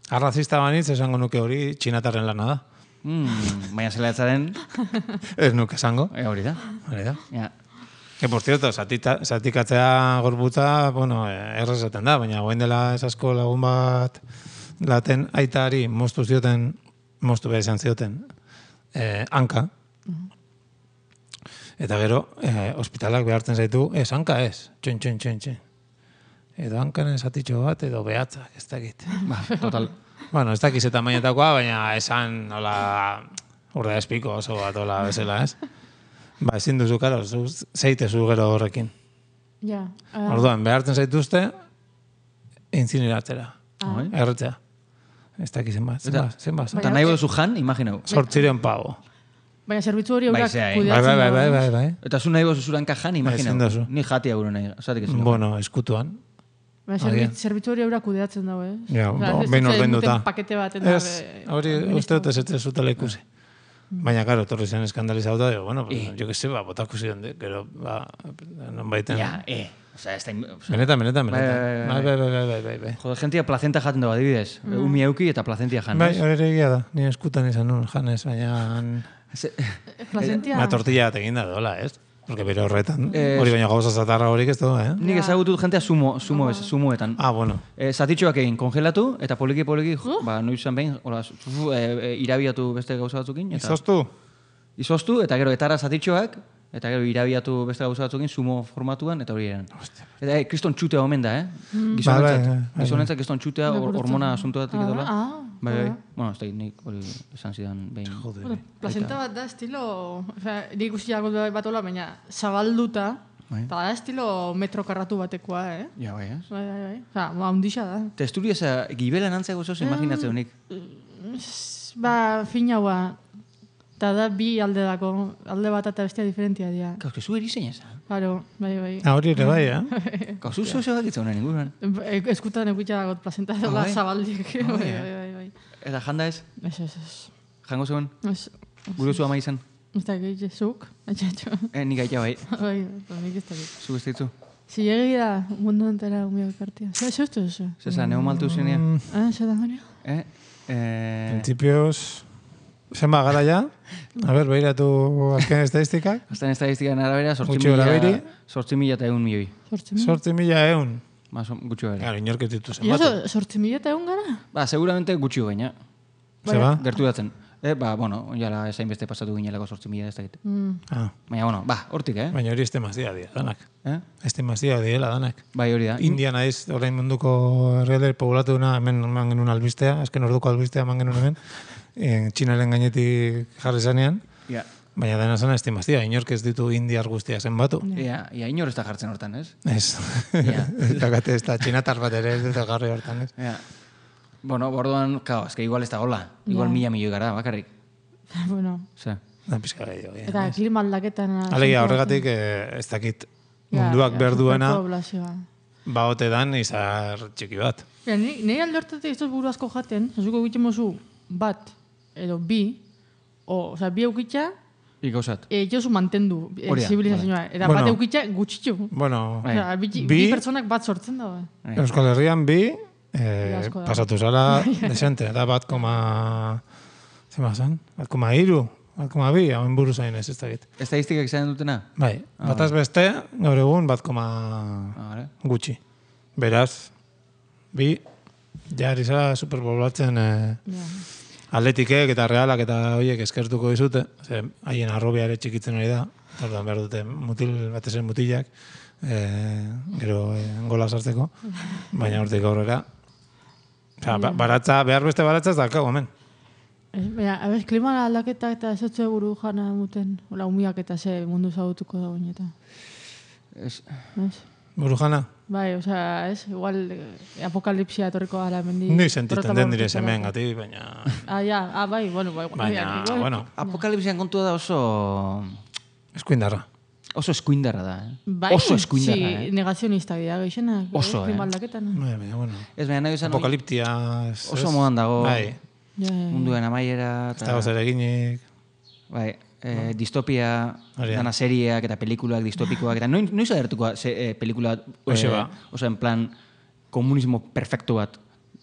Arrazista banitz esango nuke hori txinatarren lana da. Mm, baina zela etzaren, Ez nuke esango. e, hori da. Hori da. Ja. Que, por cierto, zatita, zatikatzea gorputza, bueno, errezaten da, baina goen dela esasko lagun bat laten aitari moztu zioten, moztu behar izan zioten, eh, hanka. Eta gero, eh, ospitalak behartzen zaitu, ez, hanka ez, txen, txen, txen, txen. Edo hankanen zatitxo bat, edo behatzak, ez dakit. Ba, total. Bueno, ez dakiz eta mainetakoa, baina esan, hola, urda espiko oso bat, hola, bezala, ez? Ba, ezin duzu, karo, zeitezu gero horrekin. Ja. Uh, Orduan, behartzen zaituzte, incineratzera, Ah. erretzea. Ez dakiz zenbat, zenbat, zenbat. Eta nahi duzu jan, imaginau. Sortziren pago. baina zerbitzu hori Bai, eurak zea, eh? Bai, kudeatzen bai, bai, dago, bai, eh? bai, bai. Eta zu nahi duzu zuranka jan, imaginau. Ezin duzu. Ni jatia gure nahi. Zatik ez. Bueno, eskutuan. Baina Agian. zerbitzu, zerbitzu hori eurak kudeatzen dago, eh? Ja, Osea, bo, ez behin dute ordainduta. duten pakete bat. eta, Ez, eh, hori uste dut ez ez zutela ikusi. Baina, karo, torri zen eskandalizauta, digo, bueno, pues, Eh. jo que sé, ba, botako zion, de, gero, ba, non baiten. Ja, eh. Osa, ez da... osa, Benetan, benetan, Bai, benetan. bai, Bai, bai, bai, bai, bai, bai. Jode, jentia plazenta jaten dago, adibidez. Umi euki eta plazentia jan. Bai, ez? hori ere egia da, ni eskutan izan nun, janez, baina... Ze- Plazentia. Una tortilla bat egin da dola, ez? Porque bere horretan, Eh, hori baina gauza zatarra horik ez du, eh? Nik ezagutut jentea sumo, sumo, ez, sumuetan. Ah, bueno. E, zatitxoak egin kongelatu, eta poliki poliki, ba, noizan behin, hola, fufu, e, e, irabiatu beste gauza batzukin. Eta, Izoztu? Izoztu, eta gero etara zatitxoak, eta gero irabiatu beste gauza batzukin, sumo formatuan, eta hori eran. Eta, e, kriston txutea omen da, eh? Gizonentzat, Bai, bai, bai. gizonentzat kriston txutea, hor- hormona asuntuatik edola. Ah, Bai, bai. Bueno, ez da, nik hori esan zidan behin. bueno, plazenta bat da estilo, osea, nik ikusi dago bat ola, baina zabalduta, Bai. eta da estilo metro karratu batekoa, eh? Ja, bai, ez? Bai, bai, bai. Osea, ba, hundixa da. Testuria eza, gibelan antzeko zoz imaginatzeo nik. Ba, finaua, eta da bi alde dako, alde bat eta bestia diferentia dira. Kauz, que zu erizein eza. Claro, bai, bai. Ah, hori ere bai, eh? Kauz, zu zozo bakitza honen inguruan. E- Eskutan ekutxa dago plazenta dola bai? zabaldik. Bai, bai, bai, bai. Eta janda ez? Ez, ez, ez. Jango zegoen? Ez, Gure zu ama izan? ez da gehi, zuk, atxatxo. Eh, nik aita bai. Bai, bai, nik ez da gehi. Zu beste ditzu? Zilegi da, mundu entera umio kartia. Zer, zer uste duzu? Zesa, neo maltu zenean? Ah, zer da Mario? Eh? Eh... Principios... Zenba gara ja? A ber, behiratu azken estadistikak. Azten estadistikaren arabera, sortzi Gutxi gora mila... behiri. Sortzi mila eta egun milioi. Sortzi mila? Sortzi mila eun. Mas, gutxi gara. Gara, inorket ditu Ja, zenbatu. sortzi mila eta egun gara? Ba, seguramente gutxi baina. Zeba? Gertu datzen. Eh, ba, bueno, jala esain beste pasatu ginelako sortzi mila ez dakit. Mm. Ah, Baina, bueno, ba, hortik, eh? baina hori estemazia dira, danak. Eh? Estemazia dira, danak. Bai, hori da. India naiz, orain munduko herrialde poblatu duna, hemen eman genuen albistea, azken orduko albistea eman genuen hemen, en, Txinaren gainetik jarri zanean, Ja. baina dena zena estimazia, inork ez ditu indiar guztia zenbatu. Ia, ia inor ez da jartzen hortan, ez? Ez. Ja. Dakate ez da, txinatar bat ere ez dut jarri hortan, ez? Ja. Bueno, borduan, kao, eske igual ez da gola. Igual Ja. mila milioi gara, bakarrik. Bueno, Ze. Da, pizka gehiago. ja. eta klima aldaketan... Alegia, horregatik, eh, ez dakit, Ja, munduak ja, behar duena, superpoblazioa. ba ote dan izar txiki bat. Ja, ni, nire alde hortatik ez dut buru asko jaten, zazuko egiten mozu bat, edo bi, o, oza, bi eukitza, Ik gauzat. e, jozu mantendu e, Hori da, zibilizazioa. Eta Bueno. bat eukitza gutxitxu. Bueno, Bai. Osea, bi, bi, Bi- pertsonak bat sortzen dago. Bai. Euskal Herrian bi, eh, asko da. pasatu zara desente, da bat koma... Zema zen? Bat koma iru, bat koma bi, hauen buru zain ez ez dakit. Estadistikak izan dutena? Bai, bataz beste, gaur egun bat koma Ah, vale. gutxi. Beraz, bi, jari zara superpoblatzen eh, Ja. atletikek eta realak eta horiek eskertuko dizute, ze haien arrobia ere txikitzen hori da, orduan behar dute mutil, batez ere mutilak, eh, gero eh, gola sartzeko, baina hortik aurrera. Osea, ba- baratza, behar beste baratza ez daukagu, hemen. Ez, baina, abez, klima aldaketa eta ez dut buru jana muten, ola umiak eta ze mundu zagutuko da eta. Ez, Ez? Burujana? Bai, osea, ez, igual eh, apokalipsia etorriko gara mendi. Ni sentitzen den dire hemen gati, baina... Ah, ja, ah, bai, bueno, bai, Baina, igual- bueno, apokalipsian kontua da oso... eskuindarra. Oso eskuindarra da, eh? Bai, Oso eskuindarra, sí, eh? negazionista dira, geixenak. Oso, klima eh? aldaketan. Bai, baina, bueno. Ez, baina nahi izan... Apokaliptia... ez- Oso ez? modan dago. Bai, Ja, ja, ja. Munduen amaiera... ez dago zer eginik. Bai, eh, distopia, Hori da. dana serieak eta pelikulak distopikoak, eta noiz, noiz agertuko se, eh, pelikula... Hoxe ba. Oso, en plan, komunismo perfecto bat.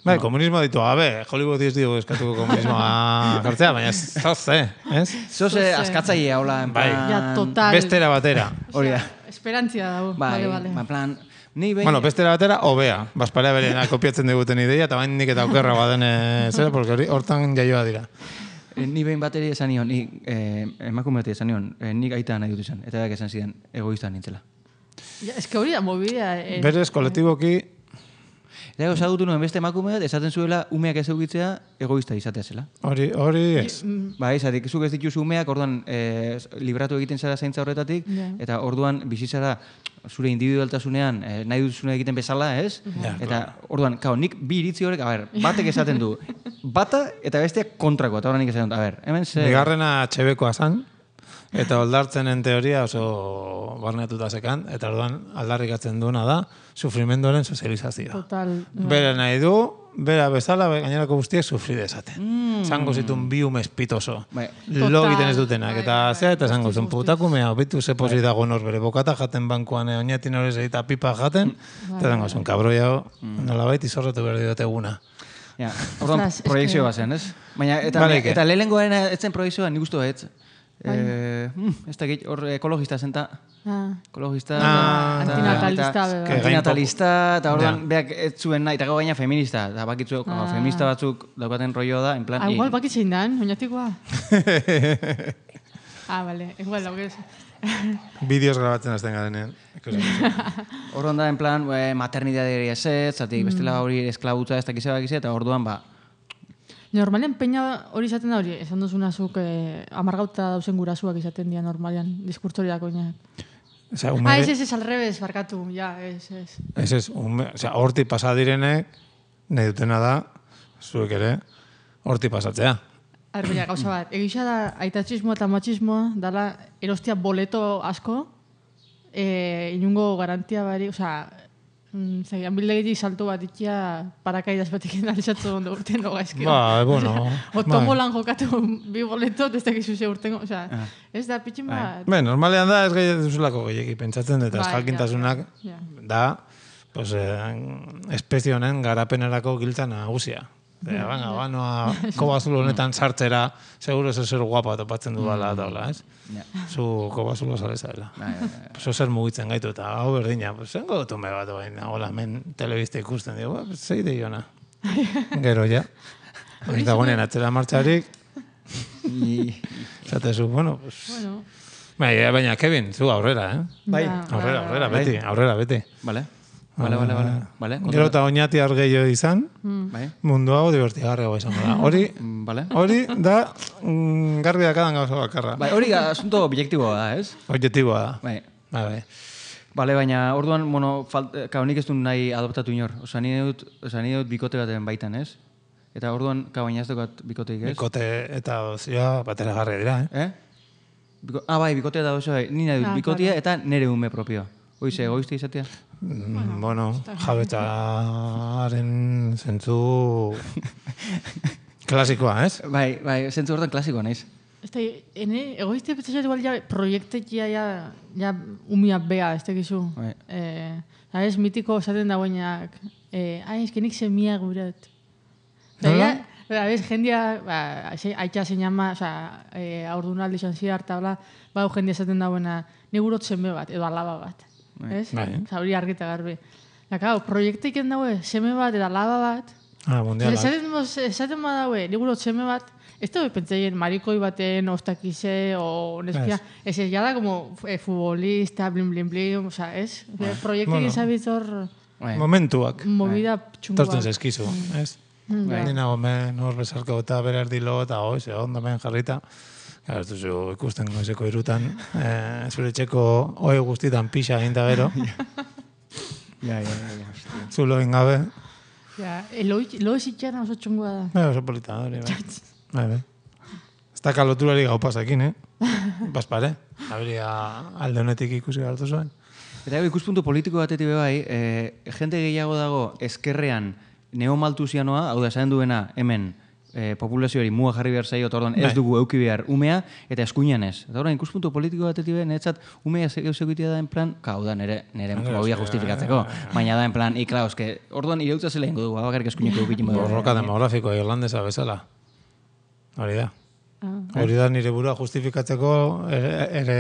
Bai, komunismo ditu gabe, Hollywood ez digu eskatuko komunismoa jartzea, baina ez zoze, ez? Zoze askatzailea, hola, en Bai. plan... Ja, total. Bestera batera. Hori da. Esperantzia dago. Bai, Vale, vale. ba, plan, ni behin... Bueno, bestera batera, hobea. Basparea berena kopiatzen diguten ideia, eta bain nik eta aukerra baden, zera, porque hori hortan jaioa dira. Eh, Ni behin bateri esan nion, ni eh, emakume bati esan nion, eh, nik aita nahi dut izan, eta berak esan ziren egoista nintzela. Ja, eske hori da mobidea. Eh, Berez, kolektiboki, Eta gero zagutu nuen beste emakume bat, esaten zuela umeak ez eukitzea egoista izatea zela. hori, hori ez. Ba, izatik, zuk ez dituzu umeak, orduan e, libratu egiten zara zaintza horretatik, Ja. eta orduan bizitzara zure individualtasunean e, nahi duzuna egiten bezala, ez? Ja, Eta orduan, kao, nik bi iritzi horrek, a ber, batek esaten du, bata eta besteak kontrako, eta orduan nik esaten dut, a ber, hemen ze... Bigarrena txebekoa zan, eta oldartzenen teoria oso barneatuta zekan, eta orduan aldarrikatzen duena da, sufrimenduaren sozializazioa. Total. Bera nahi du, bera bezala, gainerako guztiek sufri dezaten. Mm. Zango zitun bi ume espitoso. Bai. Lo Total. egiten ez dutenak, Bai, eta bai, zea, eta bai, zango guztiz, zen, guztiz. putakumea, bitu ze posi dago nor bere bokata jaten bankuan, eh, oinetin hori eta pipa jaten, eta zango zen, kabroia nolabait izorretu behar diote eguna. Ja, orduan, Ostras, proiekzio eske- bat zen, ez? Baina, eta, Vale, ke? eta lehengoaren etzen proiekzioa nik uste ez. Eh, mm, ez da git, hor ekologista zen ta. Ah. Ekologista, Ah, eta- antinatalista, eta- beba. Que gain antinatalista, eta orduan Ja. beak ez zuen nahi, eta gau gaina feminista, eta bakitzu, Ah. feminista batzuk daukaten rollo da, en plan... Ah, i- igual bakitzein dan, oinatikoa. Ah, vale, igual, lau gez. Bideos grabatzen azten garenean. Orduan da, en plan, e, maternidaderi ez ez, zatik Mm. bestela hori esklabutza ez dakize bakize, eta orduan, ba, Normalean peina hori izaten da hori, esan duzuna zuk eh, amargauta dauzen gurasuak izaten dira normalean, diskurtsoria oinak. Osea, Ah, ume, ez, ez, ez, al revés, barkatu, ja, ez, ez. ez ez, ume, osea, horti pasa direnek, nahi dutena da, zuek ere, horti pasatzea. A ber, baina, gauza bat, egisa da aitatxismoa eta matxismoa, dala erostia boleto asko, eh, inungo garantia bari, osea, mm, zegian bildegitik salto bat ikia parakaidaz batik analizatzu ondo urten no gaizkio. Ba, bueno, O tomolan jokatu bi boletot, ez dakizu ze urtengo, osea, ez da pitxin bat. Be, normalean da ez gehi duzulako gehiagi pentsatzen, eta Bai, eskalkintasunak ja, ja. da, pues, eh, espezie honen garapenerako giltza nagusia. Eta, baina, banoa, kobazulo honetan sartzera, seguro zer zer guapa topatzen du bala, eta hola, ez? ja. Zu kobazulo sale zaela. Bai, bai, bai. Pues zer mugitzen gaitu, eta hau berdina, pues, zengo dut ume bat, baina, hola, men telebista ikusten, digo, ba, zei de jona. Gero, ja. Eta guanean atzera martxarik, I- zatezu, bueno, pues... Bueno, Baina, baina, Kevin, zu aurrera, eh? Bai. ba, Aurrera, ba, aurrera, ba, beti, aurrera, beti. Vale, vale, vale, vale, vale. Gero eta oinati argeio izan, Bai, mundu hau divertigarrego izango da. Hori, mm, vale. hori da mm, garbi dakadan gauza bakarra. Bai, hori asunto objektiboa da, ez? Objektiboa da. Bai. Bai, bai. Bale, baina orduan, bueno, falt, kao, nik ez du nahi adoptatu inor. Osa, nire dut, osa, nire dut bikote baten baitan, ez? Eta orduan, kao, baina ez dukat bikoteik, ez? Bikote eta dozioa batera garri dira, eh? Eh? Biko, ah, bai, bikote eta oso, bai. Ni nahi dut Ah, bikotea eta nire ume propioa. Hoize, egoizte izatea? Mm, bueno, jabetzaren zentzu klasikoa, ez? Bai, bai, zentzu hortan klasikoa naiz. ez da, ene, egoiztia petxasat igual ja proiektekia ja, ja umia bea, ez tekizu. Bai. Eh, ez mitiko esaten dagoenak, eh, ai, ez que nik semia guret. Nola? Bera, bez, jendia, ba, aitxa zein ama, oza, e, aurdunaldi izan zidar, eta bla, bau jendia esaten dagoena, ni gurot seme bat, edo alaba bat. Ez? Bai. Oza, hori argita garbi. Da, kau, proiekteik daue, seme bat, eta alaba bat, Ah, mundialak. esaten, moz- esaten ma daue, ni gurot seme bat, ez da pentsaien marikoi baten, ostakize, o neskia, ez ez, jada como eh, futbolista, blin, blin, blin, oza, ez? Proiekteik Bueno. ezabitor Bai. Momentuak. movida txungu Tortzen bat. zezkizu, ez? Bai. Ni nago men hor bezarko eta bere erdilo eta hoiz, ondo men jarrita. Gara, ez duzu ikusten goizeko irutan, eh, zure txeko oe guztitan pixa egin da gero, Ja, ja, ja, hostia. zulo egin gabe. Ja, eloi, lo zitxana oso txungua da. Bai, oso polita hori, bai. Bai, bai. Ez da kaloturari gau pasakin, eh? Baspare, aberia alde honetik ikusi gartu zuen. Eta gero, ikuspuntu politiko batetik be bai, e, jente gehiago dago ezkerrean neomaltusianoa, hau da, esaten duena hemen e, populazioari muga jarri behar zaio, eta orduan ez Bai. dugu euki behar umea, eta eskuinan ez. Eta orduan, ikuspuntu politiko batetik be, niretzat umea zeukitea da en plan, ka, hau da, nire, nire movia justifikatzeko, baina da en plan, ikla, oske, orduan ireutza zela ingo dugu, bakarrik eskuineko eukitin modu. Borroka demografikoa irlandesa bezala. Hori da. Hori da nire burua justifikatzeko ere, ere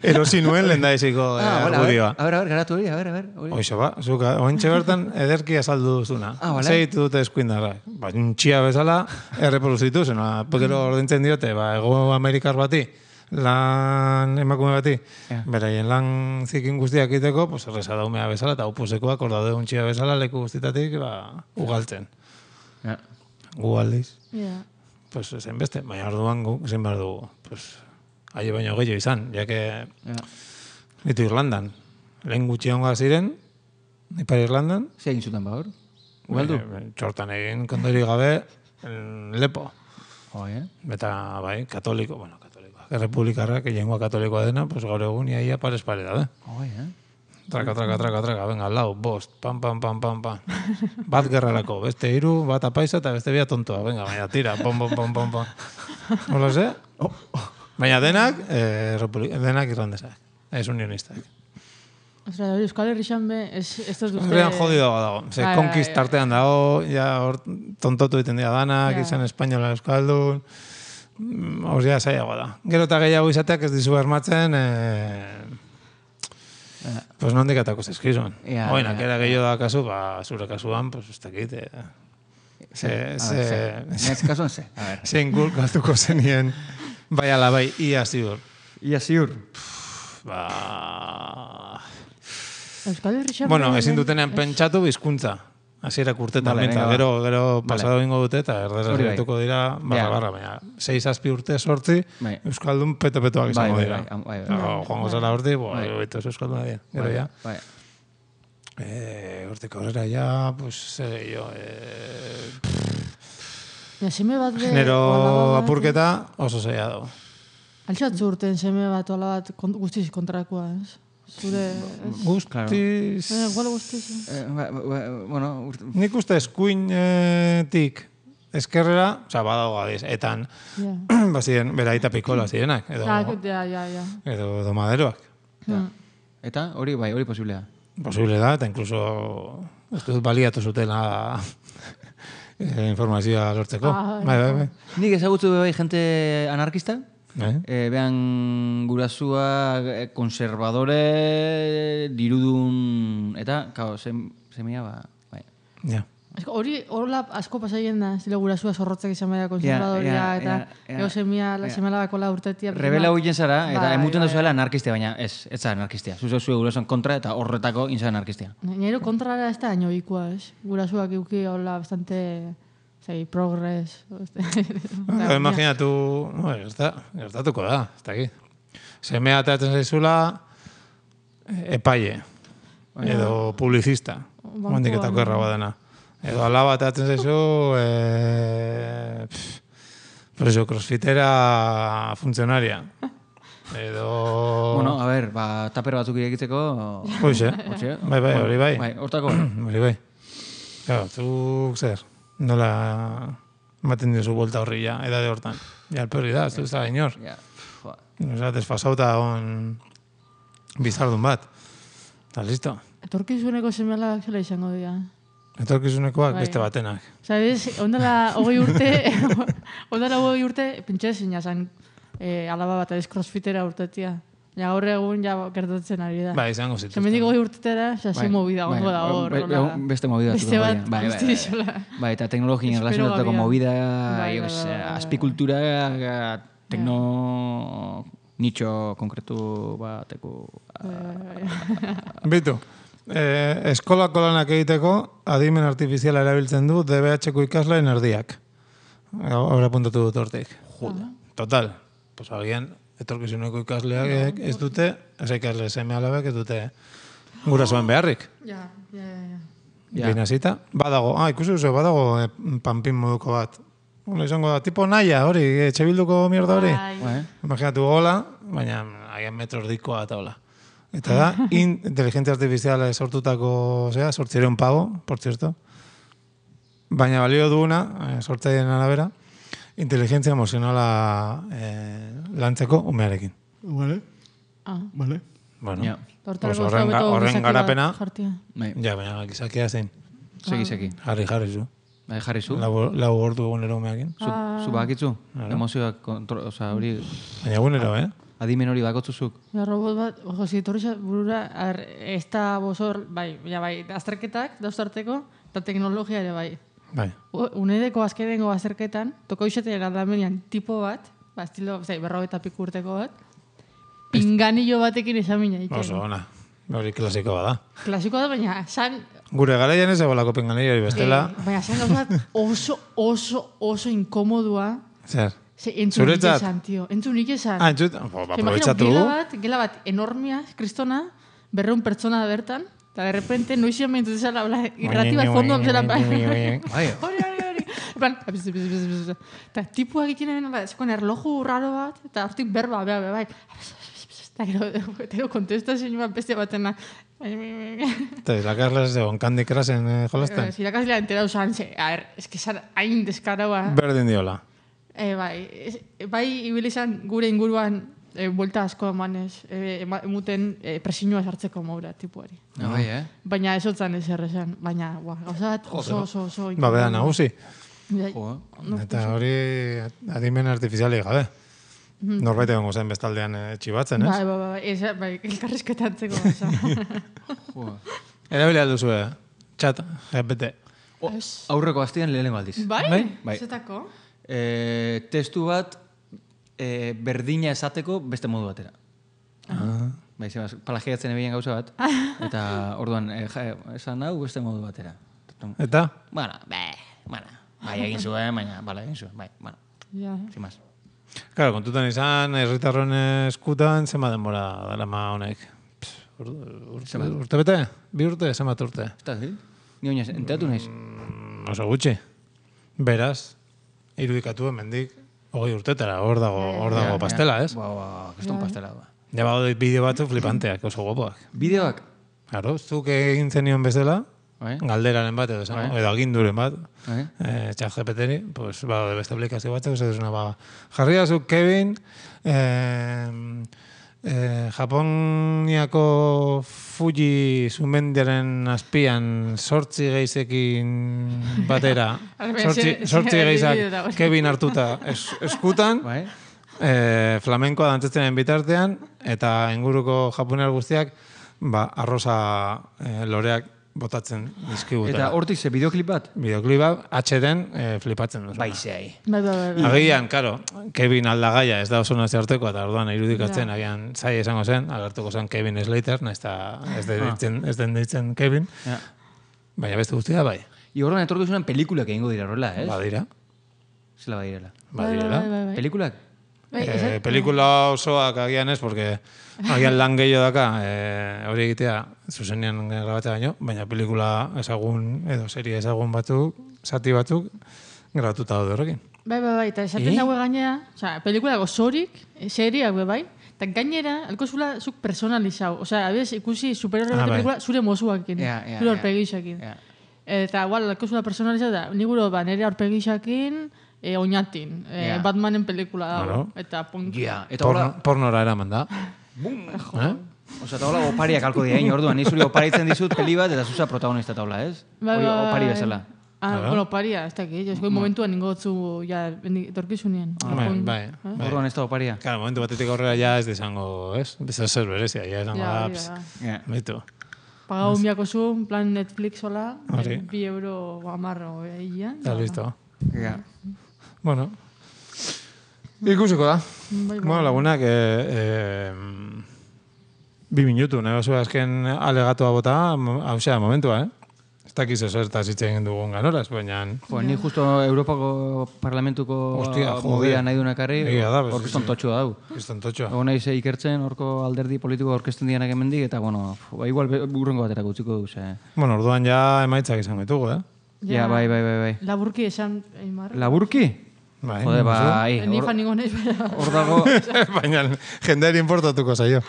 erosi nuen lehen daiziko Ah, hola, argudioa. a ver, a ver, garatu hori, a ver, a ver. hori. Hoxe ba, zuk ointxe bertan ederki azaldu duzuna. Ah, vale. Zeitu dute eskuindarra. Ba, txia bezala erreproduzitu zen. Gero ordintzen diote, ba, Ego Amerikar bati, lan emakume bati, Ja. beraien lan zikin guztiak egiteko, pues, erreza daumea bezala, eta upusekoak ordaude untxia bezala leku guztitatik ba, ugaltzen. Ja. Gu aldiz. Ja. Pues zen beste, baina orduan gu, zen behar dugu. Pues, aile baino gehiago izan, jake Ja. ditu Irlandan. Lehen gutxi honga ziren, Ipar Irlandan, Zer egin zuten ba hor? Ugaldu? eh, txortan egin kondori gabe, en lepo. Oi, eh? Eta, bai, katoliko, bueno, katolikoak, errepublikarrak, jengoa katolikoa dena, pues gaur egun iaia pares pare da, Oi, eh? Traka, traka, traka, traka, venga, lau, bost, pam, pam, pam, pam, pam. Bat gerrarako, beste hiru, bat apaisa eta beste bia tontoa, venga, baina tira, pom, pom, pom, pom, pom. Hola ze? Baina denak, eh, republi- denak irlandesak, ez unionistak. Ostra, hori Euskal Herrixan be, ez, ez dut duzte... Horrean jodido dago, ze Bai, bai, konkist bai. artean dago, ja hor tontotu egiten dira danak, Ja. izan espainola euskaldun, mm, hor ja zailagoa da. Gero eta gehiago izateak ez dizu bermatzen, eh, pues nondik atako zeskizun. Ja, Oinak, ja, era gehiago da kasu, ba, zure kasuan, pues ez dakit, eh, ze, A ze, ver, ze. Nez kasuan ze, a ver. zein gulkatuko zenien, bai ala bai, ia ziur. Ia ziur. Ba... Euskal Herrixan... Bueno, be, ezin hemen- dutenean pentsatu bizkuntza. Hasierak urtetan Vale, menta, venga, va. gero, gero Vale. pasado ingo dute eta erderaz Hori bai. gertuko dira barra Ja. barra, baina sei zazpi urte sortzi Bai. Euskaldun peto-petoak Bai, izango bai, dira. bai, bai, bai. Dago, joango zara horti, bo, Bai. oito Euskalduna dira. Gero Bai, ja, Bai. eh, hortik aurrera ja, pues, zer gehiago, eh, Ja, seme bat be... genero alaba bat- apurketa oso zeia dago. Altxatzu urten seme bat, ola bat, kon, guztiz kontrakoa, ez? Zure... Ez? Guztiz... Eh, igual guztiz, eh? Eh, ba- ba- bueno, urt- Nik uste eskuinetik eskerrera, oza, badago adiz, etan, Ja. bazien, bera aita pikola zirenak, edo, Ah, ja, ja, ja. edo domaderoak. Hmm. Eta hori bai, hori posiblea. Posible da, eta inkluso uste dut baliatu zutela eh, informazioa lortzeko. Ah, bai, bai, bai. Nik ezagutzu be bai jente anarkista, Eh? e, behan gurasua eh, konservadore, dirudun, eta, kao, sem, semia, ba, bai. Ja. Esko, hori horla asko pasaien da, zile gurasua zorrotzak izan bera konservadoria, Ja, ja, eta ja, ja. ego semia, Ja. semalabako la urtetia. Rebela huien zara, eta Bai, emuten bai, duzuela anarkistia, baina ez, ez zara anarkistia. Zuzeu zue gurasoan kontra eta horretako inza anarkistia. Nero kontrara ez da aino ikua, ez? Gurasuak euki hola bastante, zei, progres. Ba, imaginatu, no, gerta, gertatuko da, ez dakit. Semea ateratzen zaizula eh, epaile, edo publizista, Bankuan. mondiketako erraba dena. Edo alaba ateratzen zaizu, eh, pff, pues eso, crossfitera funtzionaria. Edo... Bueno, a ver, ba, taper batzuk irekitzeko... Hoxe, Hortxe. bai, bai, hori bai. Bai, hortako. Hori bai. Claro, zuk zer, nola ematen diozu vuelta horri ja, edade hortan. Ja, alperri da, ez du zara inor. Ja, joa. Osa, desfasauta on bizardun bat. Eta listo. Etorkizuneko semealabak zela izango dira. Etorkizunekoak Bai. beste batenak. Sabes, ondala hogei urte, ondala hogei urte, pintxe zina zan, eh, alaba bat ez crossfitera urtetia. Ja, gaur egun ja gertatzen ari da. Ba, izango zituzten. Zemendik hogei urtetera, xa, ze movida gongo da hor. Be- hola. be- Beste movida Beste batzuk bat, dago, bai, bai, guzti bai. izola. Bai, eta teknologien Espero relazionatutako gabia. movida, Bai, yo bai, que sé, bai, bai. azpikultura, eh, tekno nicho konkretu bateko... Bitu, eh, eskolako lanak egiteko adimen artifiziala erabiltzen du D B H-ko ikasleen erdiak. Hora puntatu dut hortik. Joda. Total. Pues agian, etorkizuneko ikasleak ez dute, ez ikasle seme alabek ez dute gurasoen beharrik. Ja, ja, ja, ja. Ja. Binazita. Badago, ah, ikusi duzu, badago eh, panpin moduko bat. Hola izango da, tipo naia hori, etxe bilduko mierda hori. Bai. Bai. Imaginatu hola, baina agian metro erdikoa eta hola. Eta da, in, inteligentzia artifiziala sortutako, zera, sortzireun pago, por cierto. Baina balio duguna, eh, sortzaileen arabera, inteligentzia emozionala eh, lantzeko umearekin. Vale, Ah. vale. Bueno, Ja. pues horren, ga- horren garapena, Jartia. Bai, ja, baina gizakia zein. segi, segi. Jarri, jarri zu. Bai, jarri zu. Lau, lau ordu egunero umeakin. Zu, zu bakitzu? Emozioak, kontro, oza, hori... Baina egunero, eh? Adimen hori bakotzuzuk. Ja, robot bat, ojo, zitorri burura, ar, ez da bozor, bai, ja, bai, azterketak dauztarteko, eta teknologia ere bai. Bai. Unedeko azkenengo azterketan, toko izatea galdamenian tipo bat, ba, estilo, zai, berrogeita piku urteko bat, pinganillo batekin esamina egiten. Oso, ona. Hori klasiko bada. Klasikoa da, baina, san... Gure garaian ez egolako pinganillo hori bestela. Eh, baina, san gauzat oso, oso, oso inkomodua. Zer? Ze, entzun nik Zuretzat? esan, tio. Entzun nik esan. Ah, entzut, ba, Imagino, aprobetxatu. gela bat, gela bat enormia, kristona, berreun pertsona da bertan, eta de repente, noizian behintu zela, irrati bat fondoan zela, Bai. hori, hori, hori. En plan, eta tipua egiten egin, zekon erloju raro bat, eta hortik berba, bea, bea, bai. Eta gero, gero kontestazio bat beste batena. Eta irakasles egon Candy Crushen eh, jolasten. Irakaslea entera usan, ze, a ver, es que zan hain deskaraua. Berdin diola. E, bai, es, bai, ibil izan gure inguruan e, buelta asko emanez, e, ema, emuten e, presinua sartzeko maura tipuari. Ah, bai, eh? Baina ez otzan ez errezan, baina, ba, gauza bat oso, oso, oso... Ba, beda nagusi. Bai. Jo, Eta hori adimen artifiziali gabe. Norbait egongo zen bestaldean txibatzen, ez? Bai, bai, bai, ez, bai, elkarrizketatzeko gauza. jo. Erabili alduzu, eh? Txat, G P T. O, aurreko astean lehenengo aldiz. Bai? Bai. Zetako? E, testu bat e, berdina esateko beste modu batera. Ah. Bai, zemaz, plagiatzen ebien gauza bat. Eta orduan, e, ja, esan hau beste modu batera. Eta? Bueno, bai, bueno, bai egin zuen, baina, bala egin zuen, bai, bueno, Ja. sin más. Claro, kontutan izan, herritarron eskutan, zema denbora darama honek. Pff, Urte, urte, urte bete? Bi urte, zemat urte? Eta, zi? Ni oinaz, enteratu naiz. Mm, oso gutxi. Beraz, irudikatu hemendik hogei urtetara, hor dago, hor dago pastela, ez? Ba, ba, keston pastela, ba. Ja bado bideo batzuk flipanteak, oso guapoak. Bideoak? Claro, zuk egin zenion bezala, Bai? galderaren bat edo, esango, Bai. edo aginduren bat, Bai? eh, txat G P T-ni, pues, ba, de beste aplikazio batzuk, ez duzuna, ba, jarri zuk Kevin, eh, eh, Japoniako Fuji sumendiaren azpian sortzi geizekin batera, Arbe, sortzi, ze- sortzi ze- geizak bideo da. Kevin hartuta es, eskutan, Bai? eh, flamenkoa dantzatzenen bitartean, eta inguruko japonear guztiak, ba, arroza eh, loreak botatzen dizkigutela. Eta hortik ze bideoklip bat? Bideoklipa H D-en eh, flipatzen duzu. Bai, zehai. Bai, bai, bai, bai. Agian, karo, Kevin aldagaia ez da oso nazio arteko, eta orduan irudikatzen, agian zai esango zen, agertuko zen Kevin Slater, nahiz eta ez den ditzen, ez den ditzen Kevin, Ja. baina beste guztia bai. I horren etorkizunan pelikulak egingo dira horrela, ez? Badira, Zela badirela. badirela. Bai, bai, bai. Pelikulak? Bai, Eh, esan- pelikula osoak agian ez, porque agian lan gehiago daka, eh, hori egitea zuzenean grabatzea baino, baina pelikula ezagun, edo serie ezagun batzuk, zati batzuk, grabatuta daude horrekin. Bai, bai, bai, eta esaten Eh? daue gainera, osea, pelikula gozorik, seriak be bai, eta gainera, alkozula zuk personalizau. Osea, abez, ikusi superhero Ah, bat bai. pelikula zure mozuakin, Ja, ja, zure ja. aurpegixakin. Ja. Eta, igual, alkozula personalizau da, niguro, ba, nire aurpegixakin, e, oinatin, e, Ja. Batmanen pelikula dago. Claro. Eta, pon... Ja, eta hola, Porno, pornora eraman da. Eh? oza, eta hola opariak alko dira, hein, orduan, ni zuri oparitzen dizut peli bat, eta zuza protagonista taula, ez? Bai, Hori bai, opari bai. bezala. Ah, Claro. bueno, paria, ez dakit, ez goi momentuan ningo gotzu, ja, bendi- etorkizunien. Bai, Pon- bai, eh? bai. Orduan ez da oparia. Claro, momentu batetik aurrera ja ez desango, ez? Bezer zer berezia, ja esango Ja, da, hori ps, da. Ja. baitu. Pagau miako zu, plan Netflix hola, Hori. eh, bi euro amarro egia. Eta listo. Ja. Bueno, ikusiko da. Bai, bai. Bueno, lagunak, eh, eh, bi minutu, nahi bazu azken alegatoa bota, hau zera momentua, eh? Ez dakiz ez zertaz hitz egin dugun ganoraz, baina... Jo, ni justo Europako Parlamentuko Hostia, joder. movida nahi duen ekarri, Egia da, hor bez- kriston totxua dau. Kriston totxoa. Egon naiz ikertzen, horko alderdi politiko aurkezten dianak hemendik eta, bueno, f- ba, igual be- urrengo baterako utziko du, ze... Bueno, orduan ja emaitzak izango ditugu, eh? Ja, bai, bai, bai, bai. Laburki esan, Eimar. Laburki? Bai, Jode, duzu. bai, Ni hor, fan ningo naiz, bera. hor dago, Baina jendeari importatuko zaio.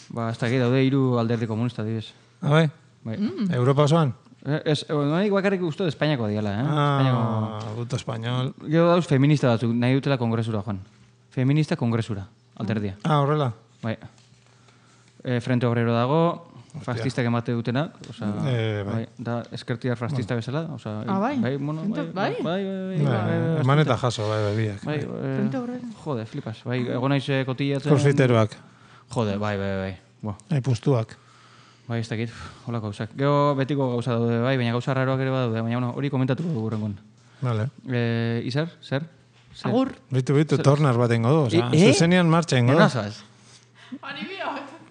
ba, ez dakit daude hiru alderdi komunista, dibes. Ah, bai? Bai. Europa osoan? Eh, Ez, nahi bakarrik uste Espainiako diala, eh? Espainiako... Ah, puto español. Gero dauz feminista batzuk, nahi dutela kongresura joan. Feminista kongresura, alderdia. Ah, horrela. Bai. E, Frente Obrero dago, fastistak emate dutenak, oza, Eh, bai. bai, da eskertiar fascista bezala, oza, Ah, bai? bai, bueno, bai, Bai? bai, bai, bai, Bai, bai, bai, eman eta jaso, bai, bai, biak. bai, eh, Frente aurrera. jode, flipas, bai, egon naiz eh, kotillatzen. Crossfiteroak, Jode, bai, bai, bai, bo, bai, pustuak. bai, ez dakit, holako gauzak. Gero betiko gauza daude, bai, baina gauza raroak ere badaude, baina bueno, hori komentatuko dugu rengon. Vale. Eh, Izar, zer? Zer? Agur. Bitu, bitu, tornar bat ingo du, oza, Eh, eh? zuzenian martxa ingo du. Enazaz?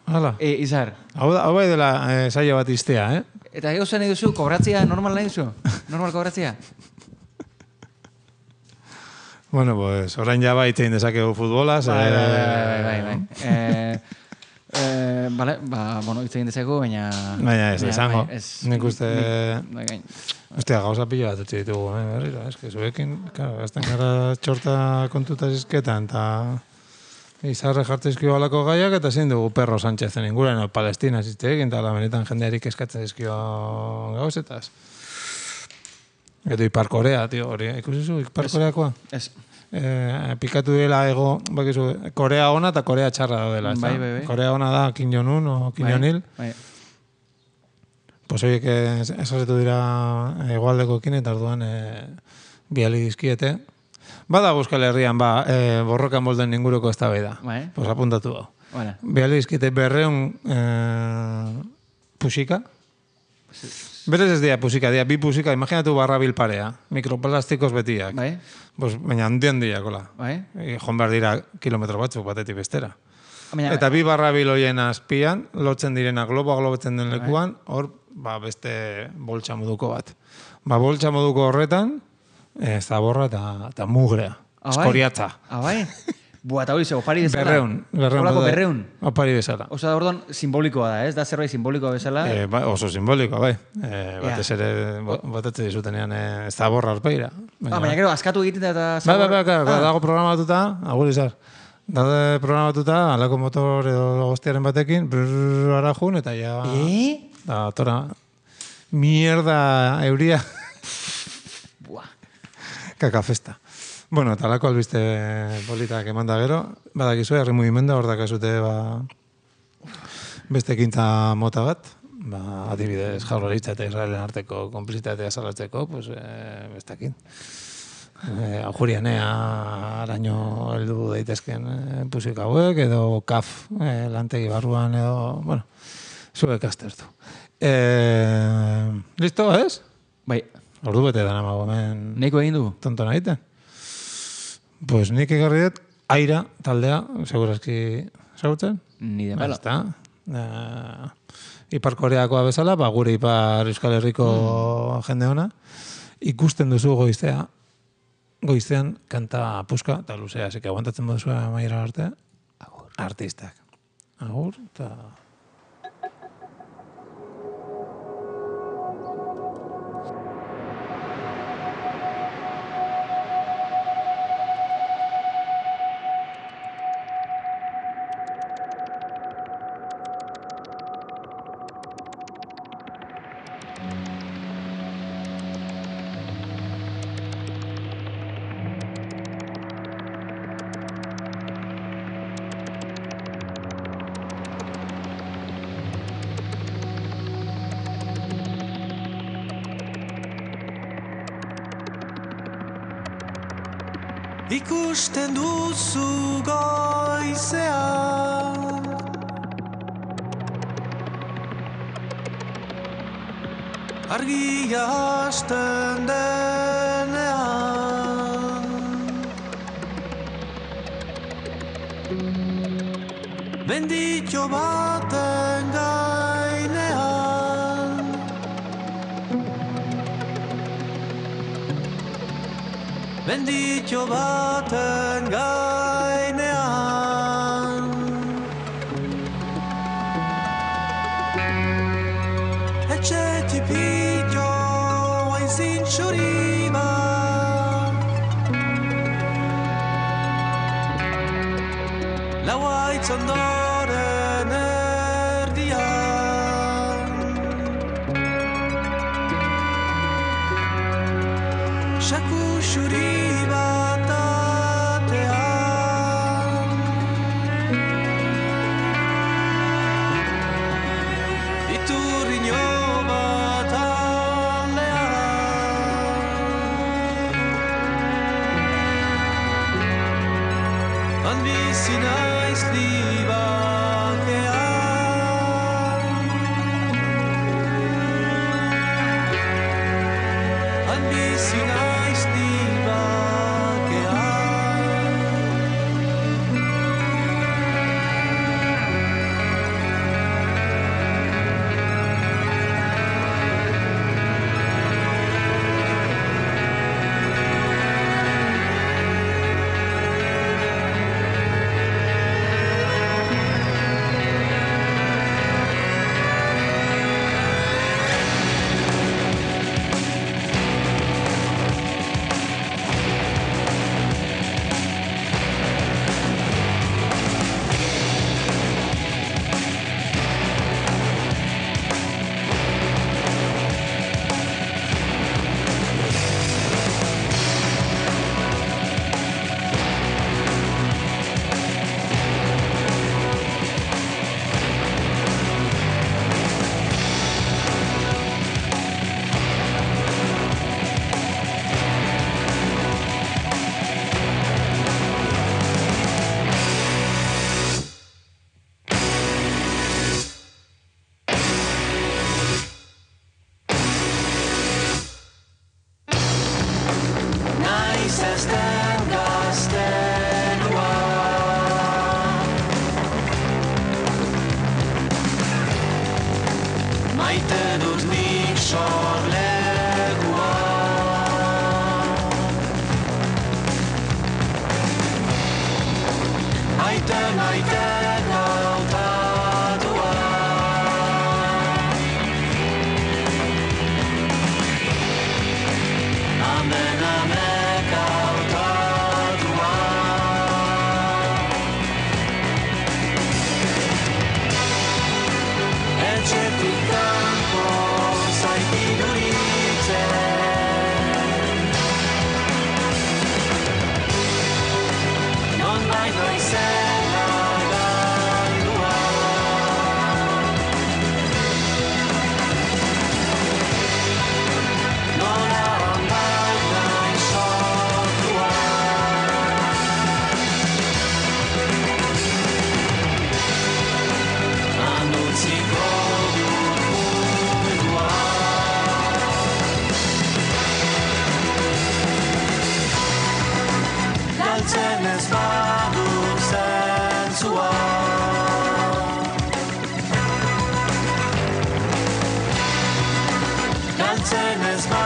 Hala. Eh, Izar, Hau, da- hau bai dela eh, saio bat iztea, eh? eta gauza nahi duzu, kobratzea, normal nahi duzu? Normal kobratzea? Bueno, pues, orain ja bai itzein dezakegu futbolaz. Bai, eh, bai, bai, bai, bai. Eh, eh, vale, ba, bueno, hitz egin dezakegu, baina... Baina ez, baina, esango. bai, ez- Nik uste... Bai, bai. Ostia, gauza pila bat etxe ditugu, eh, berriro. Ez que zuekin, claro, gazten gara txorta kontuta zizketan, eta izarre jartzezkio alako gaiak, eta zein dugu Perro Sánchezen inguren, o Palestina zitzeekin, eta la benetan jendearik eskatzen zizkio gauzetaz. Edo Ipar Korea, tio, hori, ikusi zu, Ipar Koreakoa? Ez, Eh, pikatu dela ego, bakizu, Korea ona eta Korea txarra daudela, ezta? Bai, bai, bai. Korea ona da Kim Jong-un o Kim Jong-il. bai, Pues horiek esasetu dira egoaldekoekin eta orduan e, biali dizkiete. Bada Euskal Herrian, ba, e, borrokan molden inguruko eztabaida. bai, Pues apuntatu hau. bueno, Biali dizkiete berreun e, pusika. Berez ez dira pusika, dira bi pusika, imaginatu barra bilparea, mikroplastikos betiak. bai, Pues, baina handian diakola. bai. E, joan behar dira kilometro batzuk batetik bestera. Baina, Eta bi barra biloien azpian, lotzen direna globoa globetzen den lekuan, hor, ba, beste boltsa moduko bat. Ba, boltsa moduko horretan, e, zaborra eta, eta mugrea. Ah, bai? Eskoriatza. Ah, bai? Bua, eta hori ze, opari bezala. Berreun. Berreun. Holako bota- berreun. Opari bezala. Osa, orduan, simbolikoa da, ez? Da zerbait simbolikoa bezala. E, ba, oso simbolikoa, bai. E, batez ere, bo- botatze dizutenean, e, zaborra arpeira. Ah, baina gero, askatu egiten da eta... Bai, bai, bai, Ah. bai, dago programatuta, agur izar. Daude programatuta, alako motor edo goztiaren batekin, brrrr, ara jun, eta ja... Eh? Da, tora, mierda euria. Buah. Kakafesta. Bueno, eta alako albiste politak eman da gero, badakizue, herri mugimenda, hor dakazute, ba, beste ekintza mota bat, ba, adibidez, Jaurlaritza eta Israelen arteko konplizitatea salatzeko, pues, e, bestekin. E, Aujurianea araño heldu daitezken e, pusik hauek, edo kaf e, lantegi barruan, edo, bueno, zuek aztertu. E, listo, ez? Bai, Ordu bete dana mago hemen nahiko egin dugu. tonton egiten. Pues nik egarri dut, Aira taldea, segurazki ezagutzen? Ni de Ba, palo. ezta. Eh, Ipar Koreakoa bezala, ba, gure Ipar Euskal Herriko jende ona, ikusten duzu goiztea, goizean kanta puska, eta luzea, zeke aguantatzen moduzu amaiera arte, artistak. Agur, eta... Ikusten duzu goizean argia hasten denean benditxo baten gainean benditxo baten gainean etxe tipillo hain zintxuri bat lau haitz ondoren erdian saku xuri bat atean iturriño bat aldean. Han bizi naiz libakean, han bizi naiz libakean. Zazten gaztelua, maite dut nik sorlegua. Maite, maite gautatua, amen, amen. Galtzen ez badu zentzua, galtzen ez badu